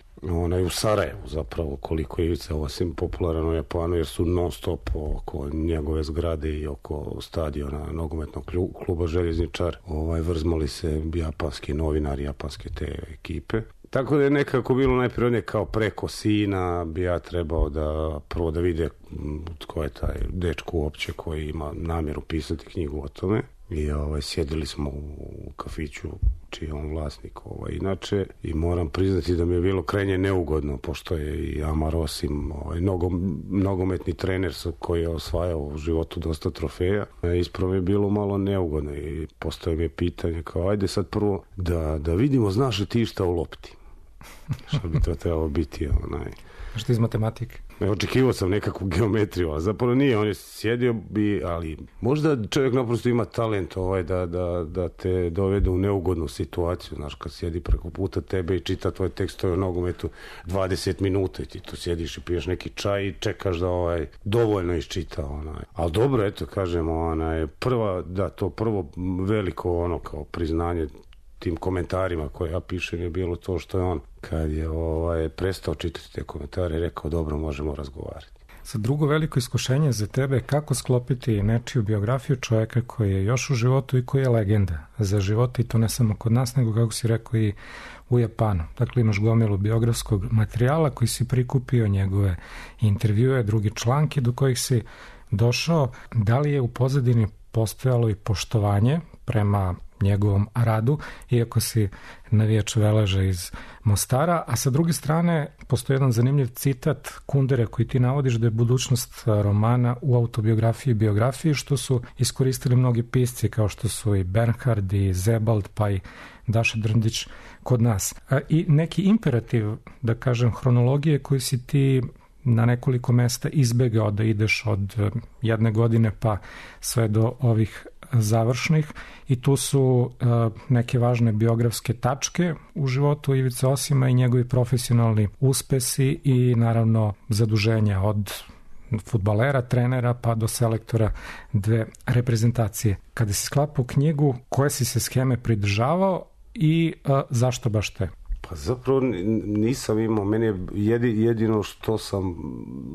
u Sarajevu zapravo koliko je Ivica Osim popularan u Japanu, jer su non stop oko njegove zgrade i oko stadiona nogometnog kluba Željezničar vrzmali se japanski novinari, japanske te ekipe. Tako da je nekako bilo najprirodnije kao preko sina bi ja trebao prvo da vide tko je taj dečko uopće koji ima namjeru pisati knjigu o tome. I sjedili smo u kafiću čiji je on vlasnik inače i moram priznati da mi je bilo krajnje neugodno, pošto je i Amar Osim nogometni trener koji je osvajao u životu dosta trofeja. Ispravo je bilo malo neugodno i postoje mi je pitanje kao ajde sad prvo da vidimo znaš li ti šta u lopti. Što bi to trebalo biti Što iz matematike? Očekivao sam nekakvu geometriju, a zapravo nije, on je sjedio ali možda čovjek naprosto ima talent da te dovede u neugodnu situaciju, znaš, kad sjedi preko puta tebe i čita tvoje tekstove o nogometu 20 minuta i ti tu sjediš i piješ neki čaj i čekaš da dovoljno iščita ali dobro, eto kažemo to prvo veliko kao priznanje tim komentarima koje ja pišem je bilo to što je on kad je prestao čitati te komentare rekao dobro, možemo razgovarati. Sa drugo veliko iskušenje za tebe kako sklopiti nečiju biografiju čovjeka koji je još u životu i koji je legenda za život i to ne samo kod nas nego kako si rekao i u Japanu. Dakle imaš gomilu biografskog materijala koji si prikupio, njegove intervjue, drugi članke do kojih si došao. Da li je u pozadini postojalo i poštovanje prema njegovom radu, iako si navijač Veleža iz Mostara, a sa druge strane postoji jedan zanimljiv citat Kundere koji ti navodiš da je budućnost romana u autobiografiji i biografiji, što su iskoristili mnogi pisci kao što su i Bernhard i Zebald pa i Daša Drndić kod nas. I neki imperativ, da kažem, hronologije koji si ti na nekoliko mesta izbegao da ideš od jedne godine pa sve do ovih završnih i tu su neke važne biografske tačke u životu Ivice Osima i njegovi profesionalni uspesi i naravno zaduženja od fudbalera, trenera pa do selektora dve reprezentacije. Kada si sklapao knjigu, koje si se scheme pridržavao i zašto baš te? Pa zapravo nisam imao, meni je jedino što sam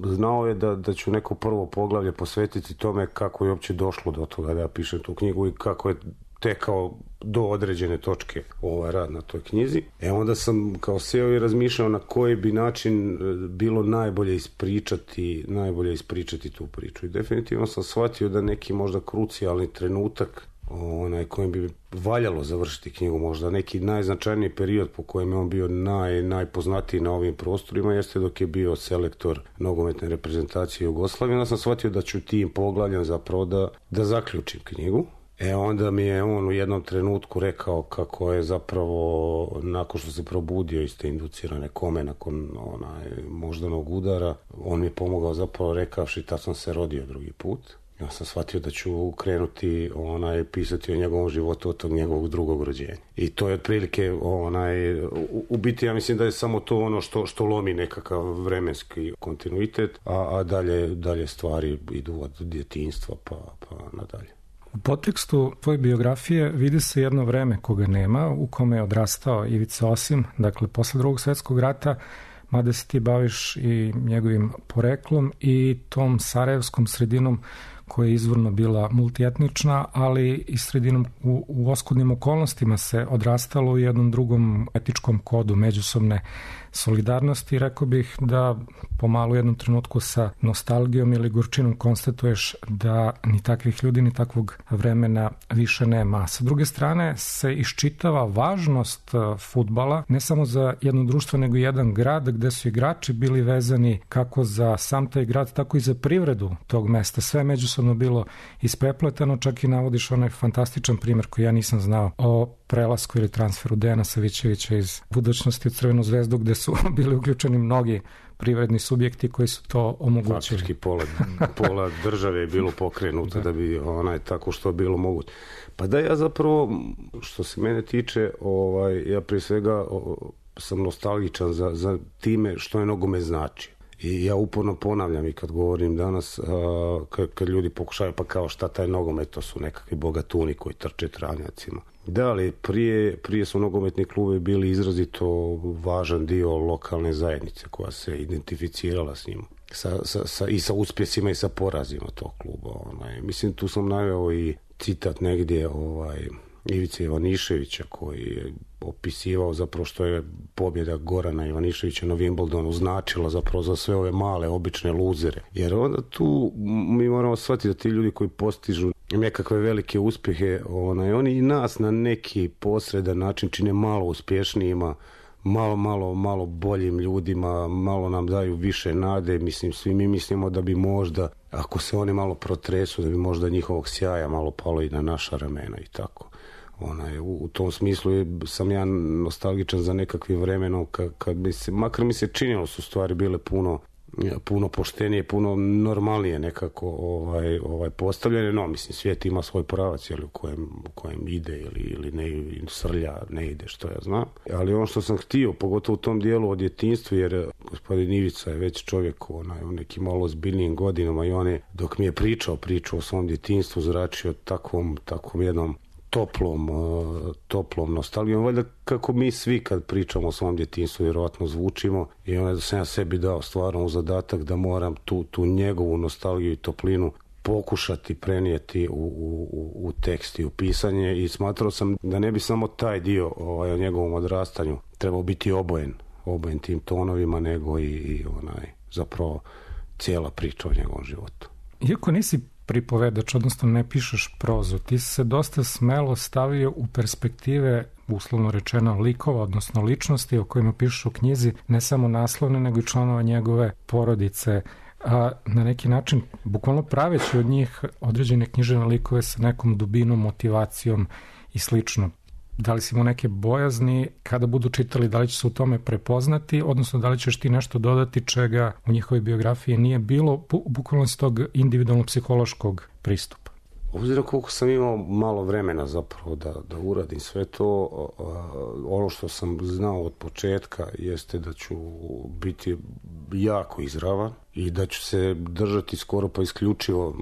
znao je da ću neko prvo poglavlje posvetiti tome kako je uopće došlo do toga da ja pišem tu knjigu i kako je tekao do određene točke rad na toj knjizi. Onda sam kao sjeo i razmišljao na koji bi način bilo najbolje ispričati tu priču. I definitivno sam shvatio da neki možda krucijalni trenutak kojim bi valjalo završiti knjigu, možda neki najznačajniji period po kojem je on bio najpoznatiji na ovim prostorima jeste dok je bio selektor nogometne reprezentacije Jugoslavije. Onda sam shvatio da ću tim poglavljem zapravo da zaključim knjigu. Onda mi je on u jednom trenutku rekao kako je zapravo nakon što se probudio iz te inducirane kome, nakon moždanog udara, on mi je pomogao zapravo rekavši tad sam se rodio drugi put. Ja sam shvatio da ću krenuti pisati o njegovom životu od tog njegovog drugog rođenja. I to je otprilike u biti ja mislim da je samo to ono što lomi nekakav vremenski kontinuitet, a dalje stvari idu od djetinjstva pa nadalje. U podtekstu tvoje biografije vidi se jedno vreme koga nema, u kome je odrastao Ivica Osim, dakle posle Drugog svjetskog rata, mada se ti baviš i njegovim poreklom i tom sarajevskom sredinom koja je izvorno bila multietnična, ali i sredinom u oskudnim okolnostima se odrastalo u jednom drugom etičkom kodu međusobne solidarnosti. Rekao bih da pomalo u jednom trenutku sa nostalgijom ili gorčinom konstatuješ da ni takvih ljudi, ni takvog vremena više nema. Sa druge strane se iščitava važnost fudbala, ne samo za jedno društvo, nego jedan grad gde su igrači bili vezani kako za sam taj grad, tako i za privredu tog mesta. Sve međusobno bilo isprepletano, čak i navodiš onaj fantastičan primjer koji ja nisam znao o prelasku ili transferu Dejana Savićevića iz Budućnosti u Crvenu zvezdu, gde su bili uključeni mnogi privredni subjekti koji su to omogućili. Faktički pola države je bilo pokrenuto da bi tako što je bilo moguće. Pa da, ja zapravo, što se mene tiče, ja prije svega sam nostalgičan za time što je nogomet znači. I ja uporno ponavljam i kad govorim danas, kad ljudi pokušaju pa kao šta taj nogomet, to su nekakvi bogatuni koji trče travnjacima. Da, ali prije su nogometni klubi bili izrazito važan dio lokalne zajednice koja se identificirala s njima. I sa uspjesima i sa porazima tog kluba. Mislim, tu sam naveo i citat negdje Ivice Ivaniševića koji je opisivao zapravo što je pobjeda Gorana Ivaniševića na Wimbledonu značila zapravo za sve ove male, obične luzere. Jer onda tu mi moramo shvatiti da ti ljudi koji postižu nekakve velike uspjehe, oni i nas na neki posredan način čine malo uspješnijima, malo boljim ljudima, malo nam daju više nade. Mislim, svi mi mislimo da bi možda, ako se oni malo protresu, da bi možda njihovog sjaja malo palo i na naša ramena i tako. U tom smislu sam ja nostalgičan za nekakvim vremenom kad bi se, makar mi se činilo su stvari bile puno poštenije, puno normalnije nekako postavljene. No, mislim, svijet ima svoj pravac u kojem ide ili ne srlja, ne ide, što ja znam. Ali ono što sam htio, pogotovo u tom dijelu o djetinjstvu, jer gospodin Ivica je već čovjek u nekim malo ozbiljnijim godinama i on je, dok mi je pričao o svom djetinjstvu, zračio takvom jednom toplom nostalgijom. Valjda kako mi svi kad pričamo o svom djetinjstvu vjerojatno zvučimo, i onda sam ja sebi dao stvarno u zadatak da moram tu njegovu nostalgiju i toplinu pokušati prenijeti u tekst i u pisanje, i smatrao sam da ne bi samo taj dio o njegovom odrastanju trebao biti obojen tim tonovima, nego i zapravo cijela priča o njegovom životu. Iako nisi pripovedač, odnosno ne pišeš prozu, ti se dosta smelo stavio u perspektive, uslovno rečeno, likova, odnosno ličnosti o kojima pišeš u knjizi, ne samo naslovne, nego i članova njegove porodice, a na neki način, bukvalno praveći od njih određene književne likove sa nekom dubinom, motivacijom i slično. Da li si imao neke bojazni kada budu čitali, da li će se u tome prepoznati, odnosno da li ćeš ti nešto dodati čega u njihovoj biografiji nije bilo, bukvalno s tog individualno psihološkog pristupa? Obzirom koliko sam imao malo vremena zapravo da uradim sve to, ono što sam znao od početka jeste da ću biti jako izravan i da ću se držati skoro pa isključivo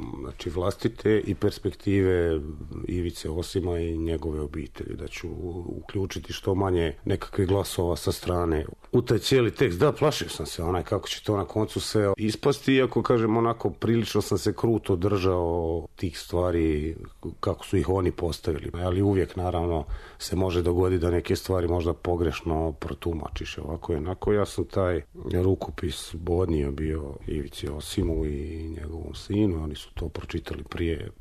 vlastite i perspektive Ivice Osima i njegove obitelji, da ću uključiti što manje nekakvih glasova sa strane u taj cijeli tekst. Da, plašio sam se kako će to na koncu sve ispasti, iako kažem onako prilično sam se kruto držao tih stvari kako su ih oni postavili, ali uvijek naravno se može dogoditi da neke stvari možda pogrešno protumačiš ovako i onako. Ja sam taj rukopis dopis odnio bio Ivici Osimu i njegovom sinu, oni su to pročitali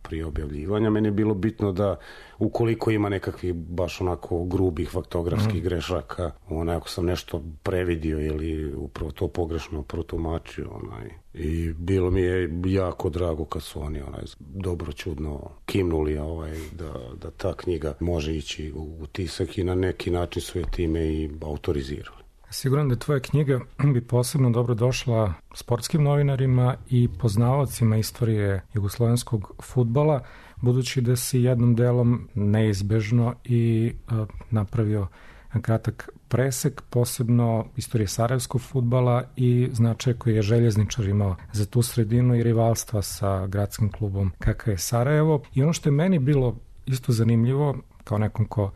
prije objavljivanja. Meni je bilo bitno da ukoliko ima nekakvih baš onako grubih faktografskih grešaka, ako sam nešto previdio ili upravo to pogrešno protumačio, i bilo mi je jako drago kad su oni dobro čudno kimnuli da ta knjiga može ići u tisak i na neki način su je time i autorizirali. Siguran da tvoja knjiga bi posebno dobro došla sportskim novinarima i poznavaocima istorije jugoslovenskog fudbala, budući da si jednom delom neizbežno i napravio kratak presek, posebno istorije sarajevskog fudbala i značaj koji je Željezničar imao za tu sredinu i rivalstva sa gradskim klubom kakav je Sarajevo. I ono što je meni bilo isto zanimljivo, kao nekom ko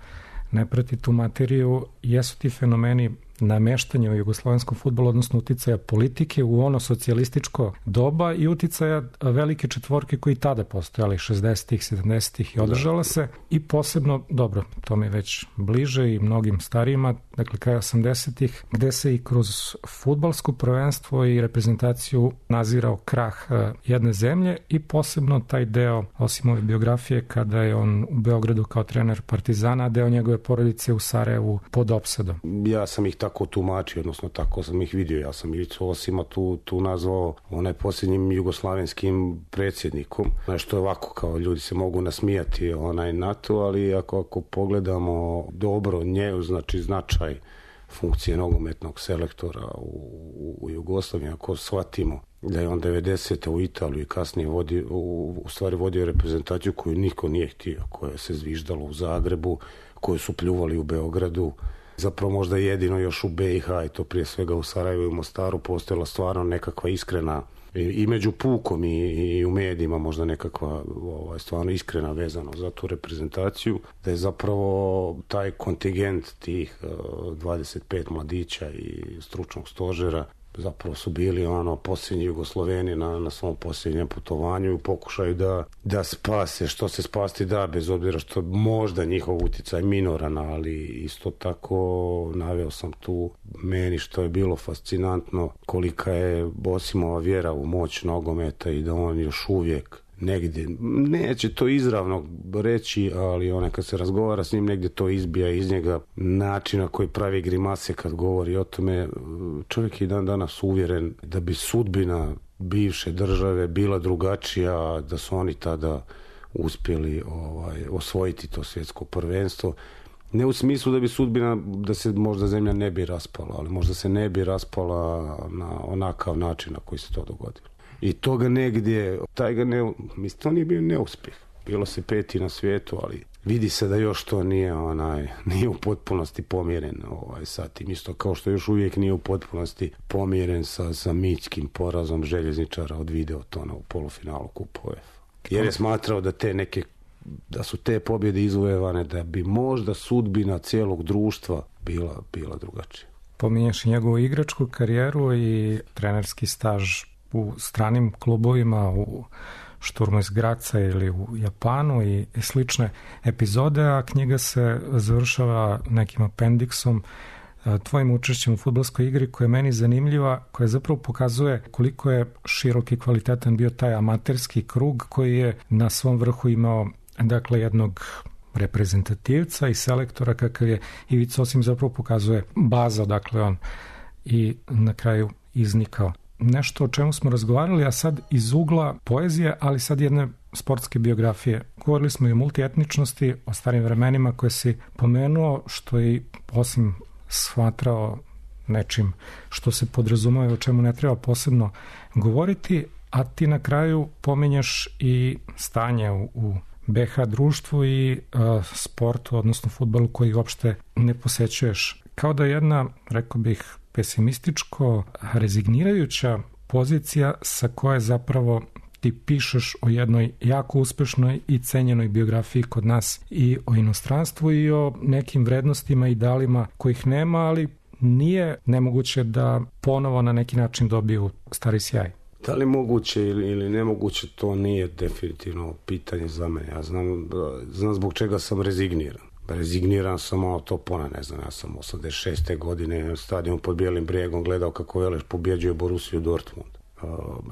ne prati tu materiju, jesu ti fenomeni nameštanja u jugoslovenskom fudbalu, odnosno uticaja politike u ono socijalističko doba i uticaja velike četvorke koji tada postojali 60-ih, 70-ih i održala se i posebno, dobro, to mi je već bliže i mnogim starijima, dakle kraj 80-ih, gde se i kroz fudbalsko prvenstvo i reprezentaciju nazirao krah jedne zemlje i posebno taj deo Osimove biografije kada je on u Beogradu kao trener Partizana, a deo njegove porodice u Sarajevu pod opsadom. Ja sam ih tako tumačio, odnosno tako sam ih vidio. Ja sam Ivicu Osima tu nazvao posljednjim jugoslavenskim predsjednikom. Što je ovako, kao ljudi se mogu nasmijati na to, ali ako pogledamo dobro znači značaj funkcije nogometnog selektora u Jugoslaviji, ako shvatimo da je on 90. u Italiju i kasnije vodio reprezentaciju koju niko nije htio, koja se zviždalo u Zagrebu, koju su pljuvali u Beogradu, zapravo možda jedino još u BiH i to prije svega u Sarajevu i Mostaru postojala stvarno nekakva iskrena i među pukom i u medijima možda nekakva stvarno iskrena vezano za tu reprezentaciju, da je zapravo taj kontingent tih 25 mladića i stručnog stožera zapravo su bili posljednji Jugosloveni na svom posljednjem putovanju i u pokušaju da spase što se spasti da, bez obzira što možda njihov utjecaj minoran, ali isto tako naveo sam tu meni što je bilo fascinantno kolika je Osimova vjera u moć nogometa i da on još uvijek negdje, neće to izravno reći, ali kad se razgovara s njim negdje to izbija iz njega, način na koji pravi grimase kad govori o tome. Čovjek je dan danas uvjeren da bi sudbina bivše države bila drugačija, da su oni tada uspjeli osvojiti to svjetsko prvenstvo. Ne u smislu da bi sudbina, da se možda zemlja ne bi raspala, ali možda se ne bi raspala na onakav način na koji se to dogodilo. I toga negdje, to nije bio neuspjeh. Bilo se 5. na svijetu, ali vidi se da još to nije u potpunosti pomiren sa tim. Isto kao što još uvijek nije u potpunosti pomiren sa mitskim porazom Željezničara od Videotona u polufinalu Kupa UEFA. Jer je smatrao da su te pobjede izvojevane, da bi možda sudbina cijelog društva bila drugačija. Pominješ njegovu igračku karijeru i trenerski staž u stranim klubovima, u Šturmu iz Graca ili u Japanu i slične epizode, a knjiga se završava nekim apendiksom, tvojim učešćem u fudbalskoj igri koja je meni zanimljiva, koja zapravo pokazuje koliko je širok i kvalitetan bio taj amaterski krug koji je na svom vrhu imao jednog reprezentativca i selektora kakav je Ivica Osim, zapravo pokazuje baza odakle on i na kraju iznikao. Nešto o čemu smo razgovarali, a sad iz ugla poezije, ali sad jedne sportske biografije. Govorili smo i o multietničnosti, o starim vremenima koje si pomenuo, što je Osim shvatrao nečim što se podrazumeva, o čemu ne treba posebno govoriti, a ti na kraju pominješ i stanje u BH društvu i sportu, odnosno fudbalu koji uopšte ne posećuješ. Kao da jedna, rekao bih, pesimističko rezignirajuća pozicija sa koje zapravo ti pišeš o jednoj jako uspešnoj i cenjenoj biografiji kod nas i o inostranstvu i o nekim vrednostima i idealima kojih nema, ali nije nemoguće da ponovo na neki način dobiju stari sjaj. Da li moguće ili nemoguće, to nije definitivno pitanje za mene. Ja znam zbog čega sam rezigniran. rezigniran sam, ono to ne znam, ja sam 86. godine na stadionu pod Bijelim brijegom gledao kako Veleš pobjeđuje Borussiju Dortmund.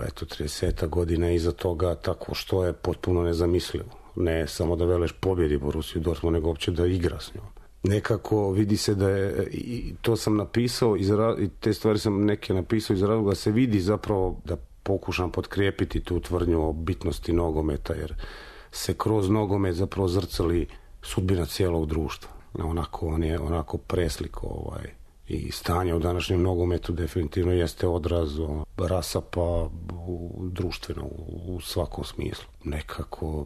Eto, 30 godina iza toga, tako što je potpuno nezamislivo. Ne samo da Veleš pobjedi Borussiju Dortmund, nego uopće da igra s njom. Nekako vidi se da je, i to sam napisao, i te stvari sam neke napisao iz razloga, se vidi zapravo da pokušam potkrijepiti tu tvrdnju o bitnosti nogometa, jer se kroz nogomet zapravo zrcali sudbina cijelog društva. On je onako preslik i stanje u današnjem nogometu definitivno jeste odraz rasapa društveno u svakom smislu. Nekako,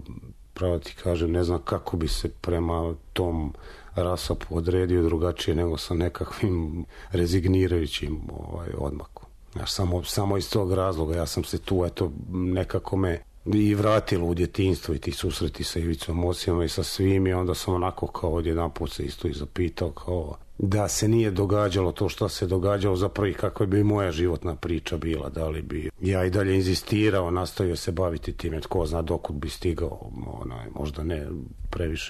pravo ti kažem, ne znam kako bi se prema tom rasapu odredio drugačije nego sa nekakvim rezignirajućim odmakom. Samo iz tog razloga ja sam se tu, nekako me i vratilo u djetinjstvo i ti susreti sa Ivicom Osijama i sa svim, i onda sam onako kao odjedanput se isto i zapitao kao da se nije događalo to što se događalo, zapravo i kakva bi moja životna priča bila, da li bi ja i dalje inzistirao, nastavio se baviti time, tko zna dokud bi stigao, možda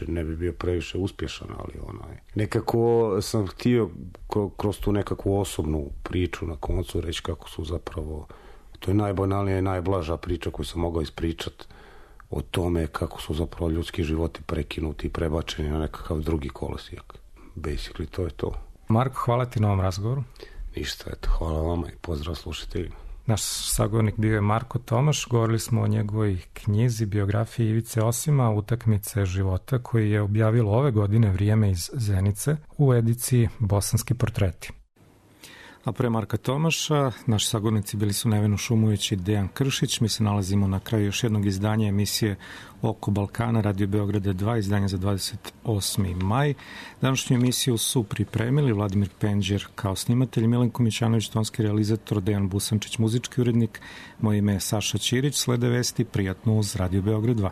ne bi bio previše uspješan, ali nekako sam htio kroz tu nekakvu osobnu priču na koncu reći kako su zapravo, to je najbanalnija i najblaža priča koju sam mogao ispričati o tome kako su zapravo ljudski životi prekinuti i prebačeni na nekakav drugi kolosijek. Basically, to je to. Marko, hvala ti na ovom razgovoru. Ništa, hvala vama i pozdrav slušateljima. Naš sagovornik bio je Marko Tomaš, govorili smo o njegovoj knjizi, biografiji Ivice Osima, Utakmice života, koji je objavilo ove godine Vrijeme iz Zenice u ediciji Bosanski portreti. A pre Marka Tomaša, naši sagovornici bili su Nevena Šumović i Dejan Kršić. Mi se nalazimo na kraju još jednog izdanja emisije Oko Balkana, Radio Beograda 2, izdanje za 28. maj. Današnju emisiju su pripremili Vladimir Penđer kao snimatelj, Milenko Mićanović, tonski realizator, Dejan Busančić, muzički urednik. Moje ime je Saša Ćirić, slede vesti, prijatno uz Radio Beograd 2.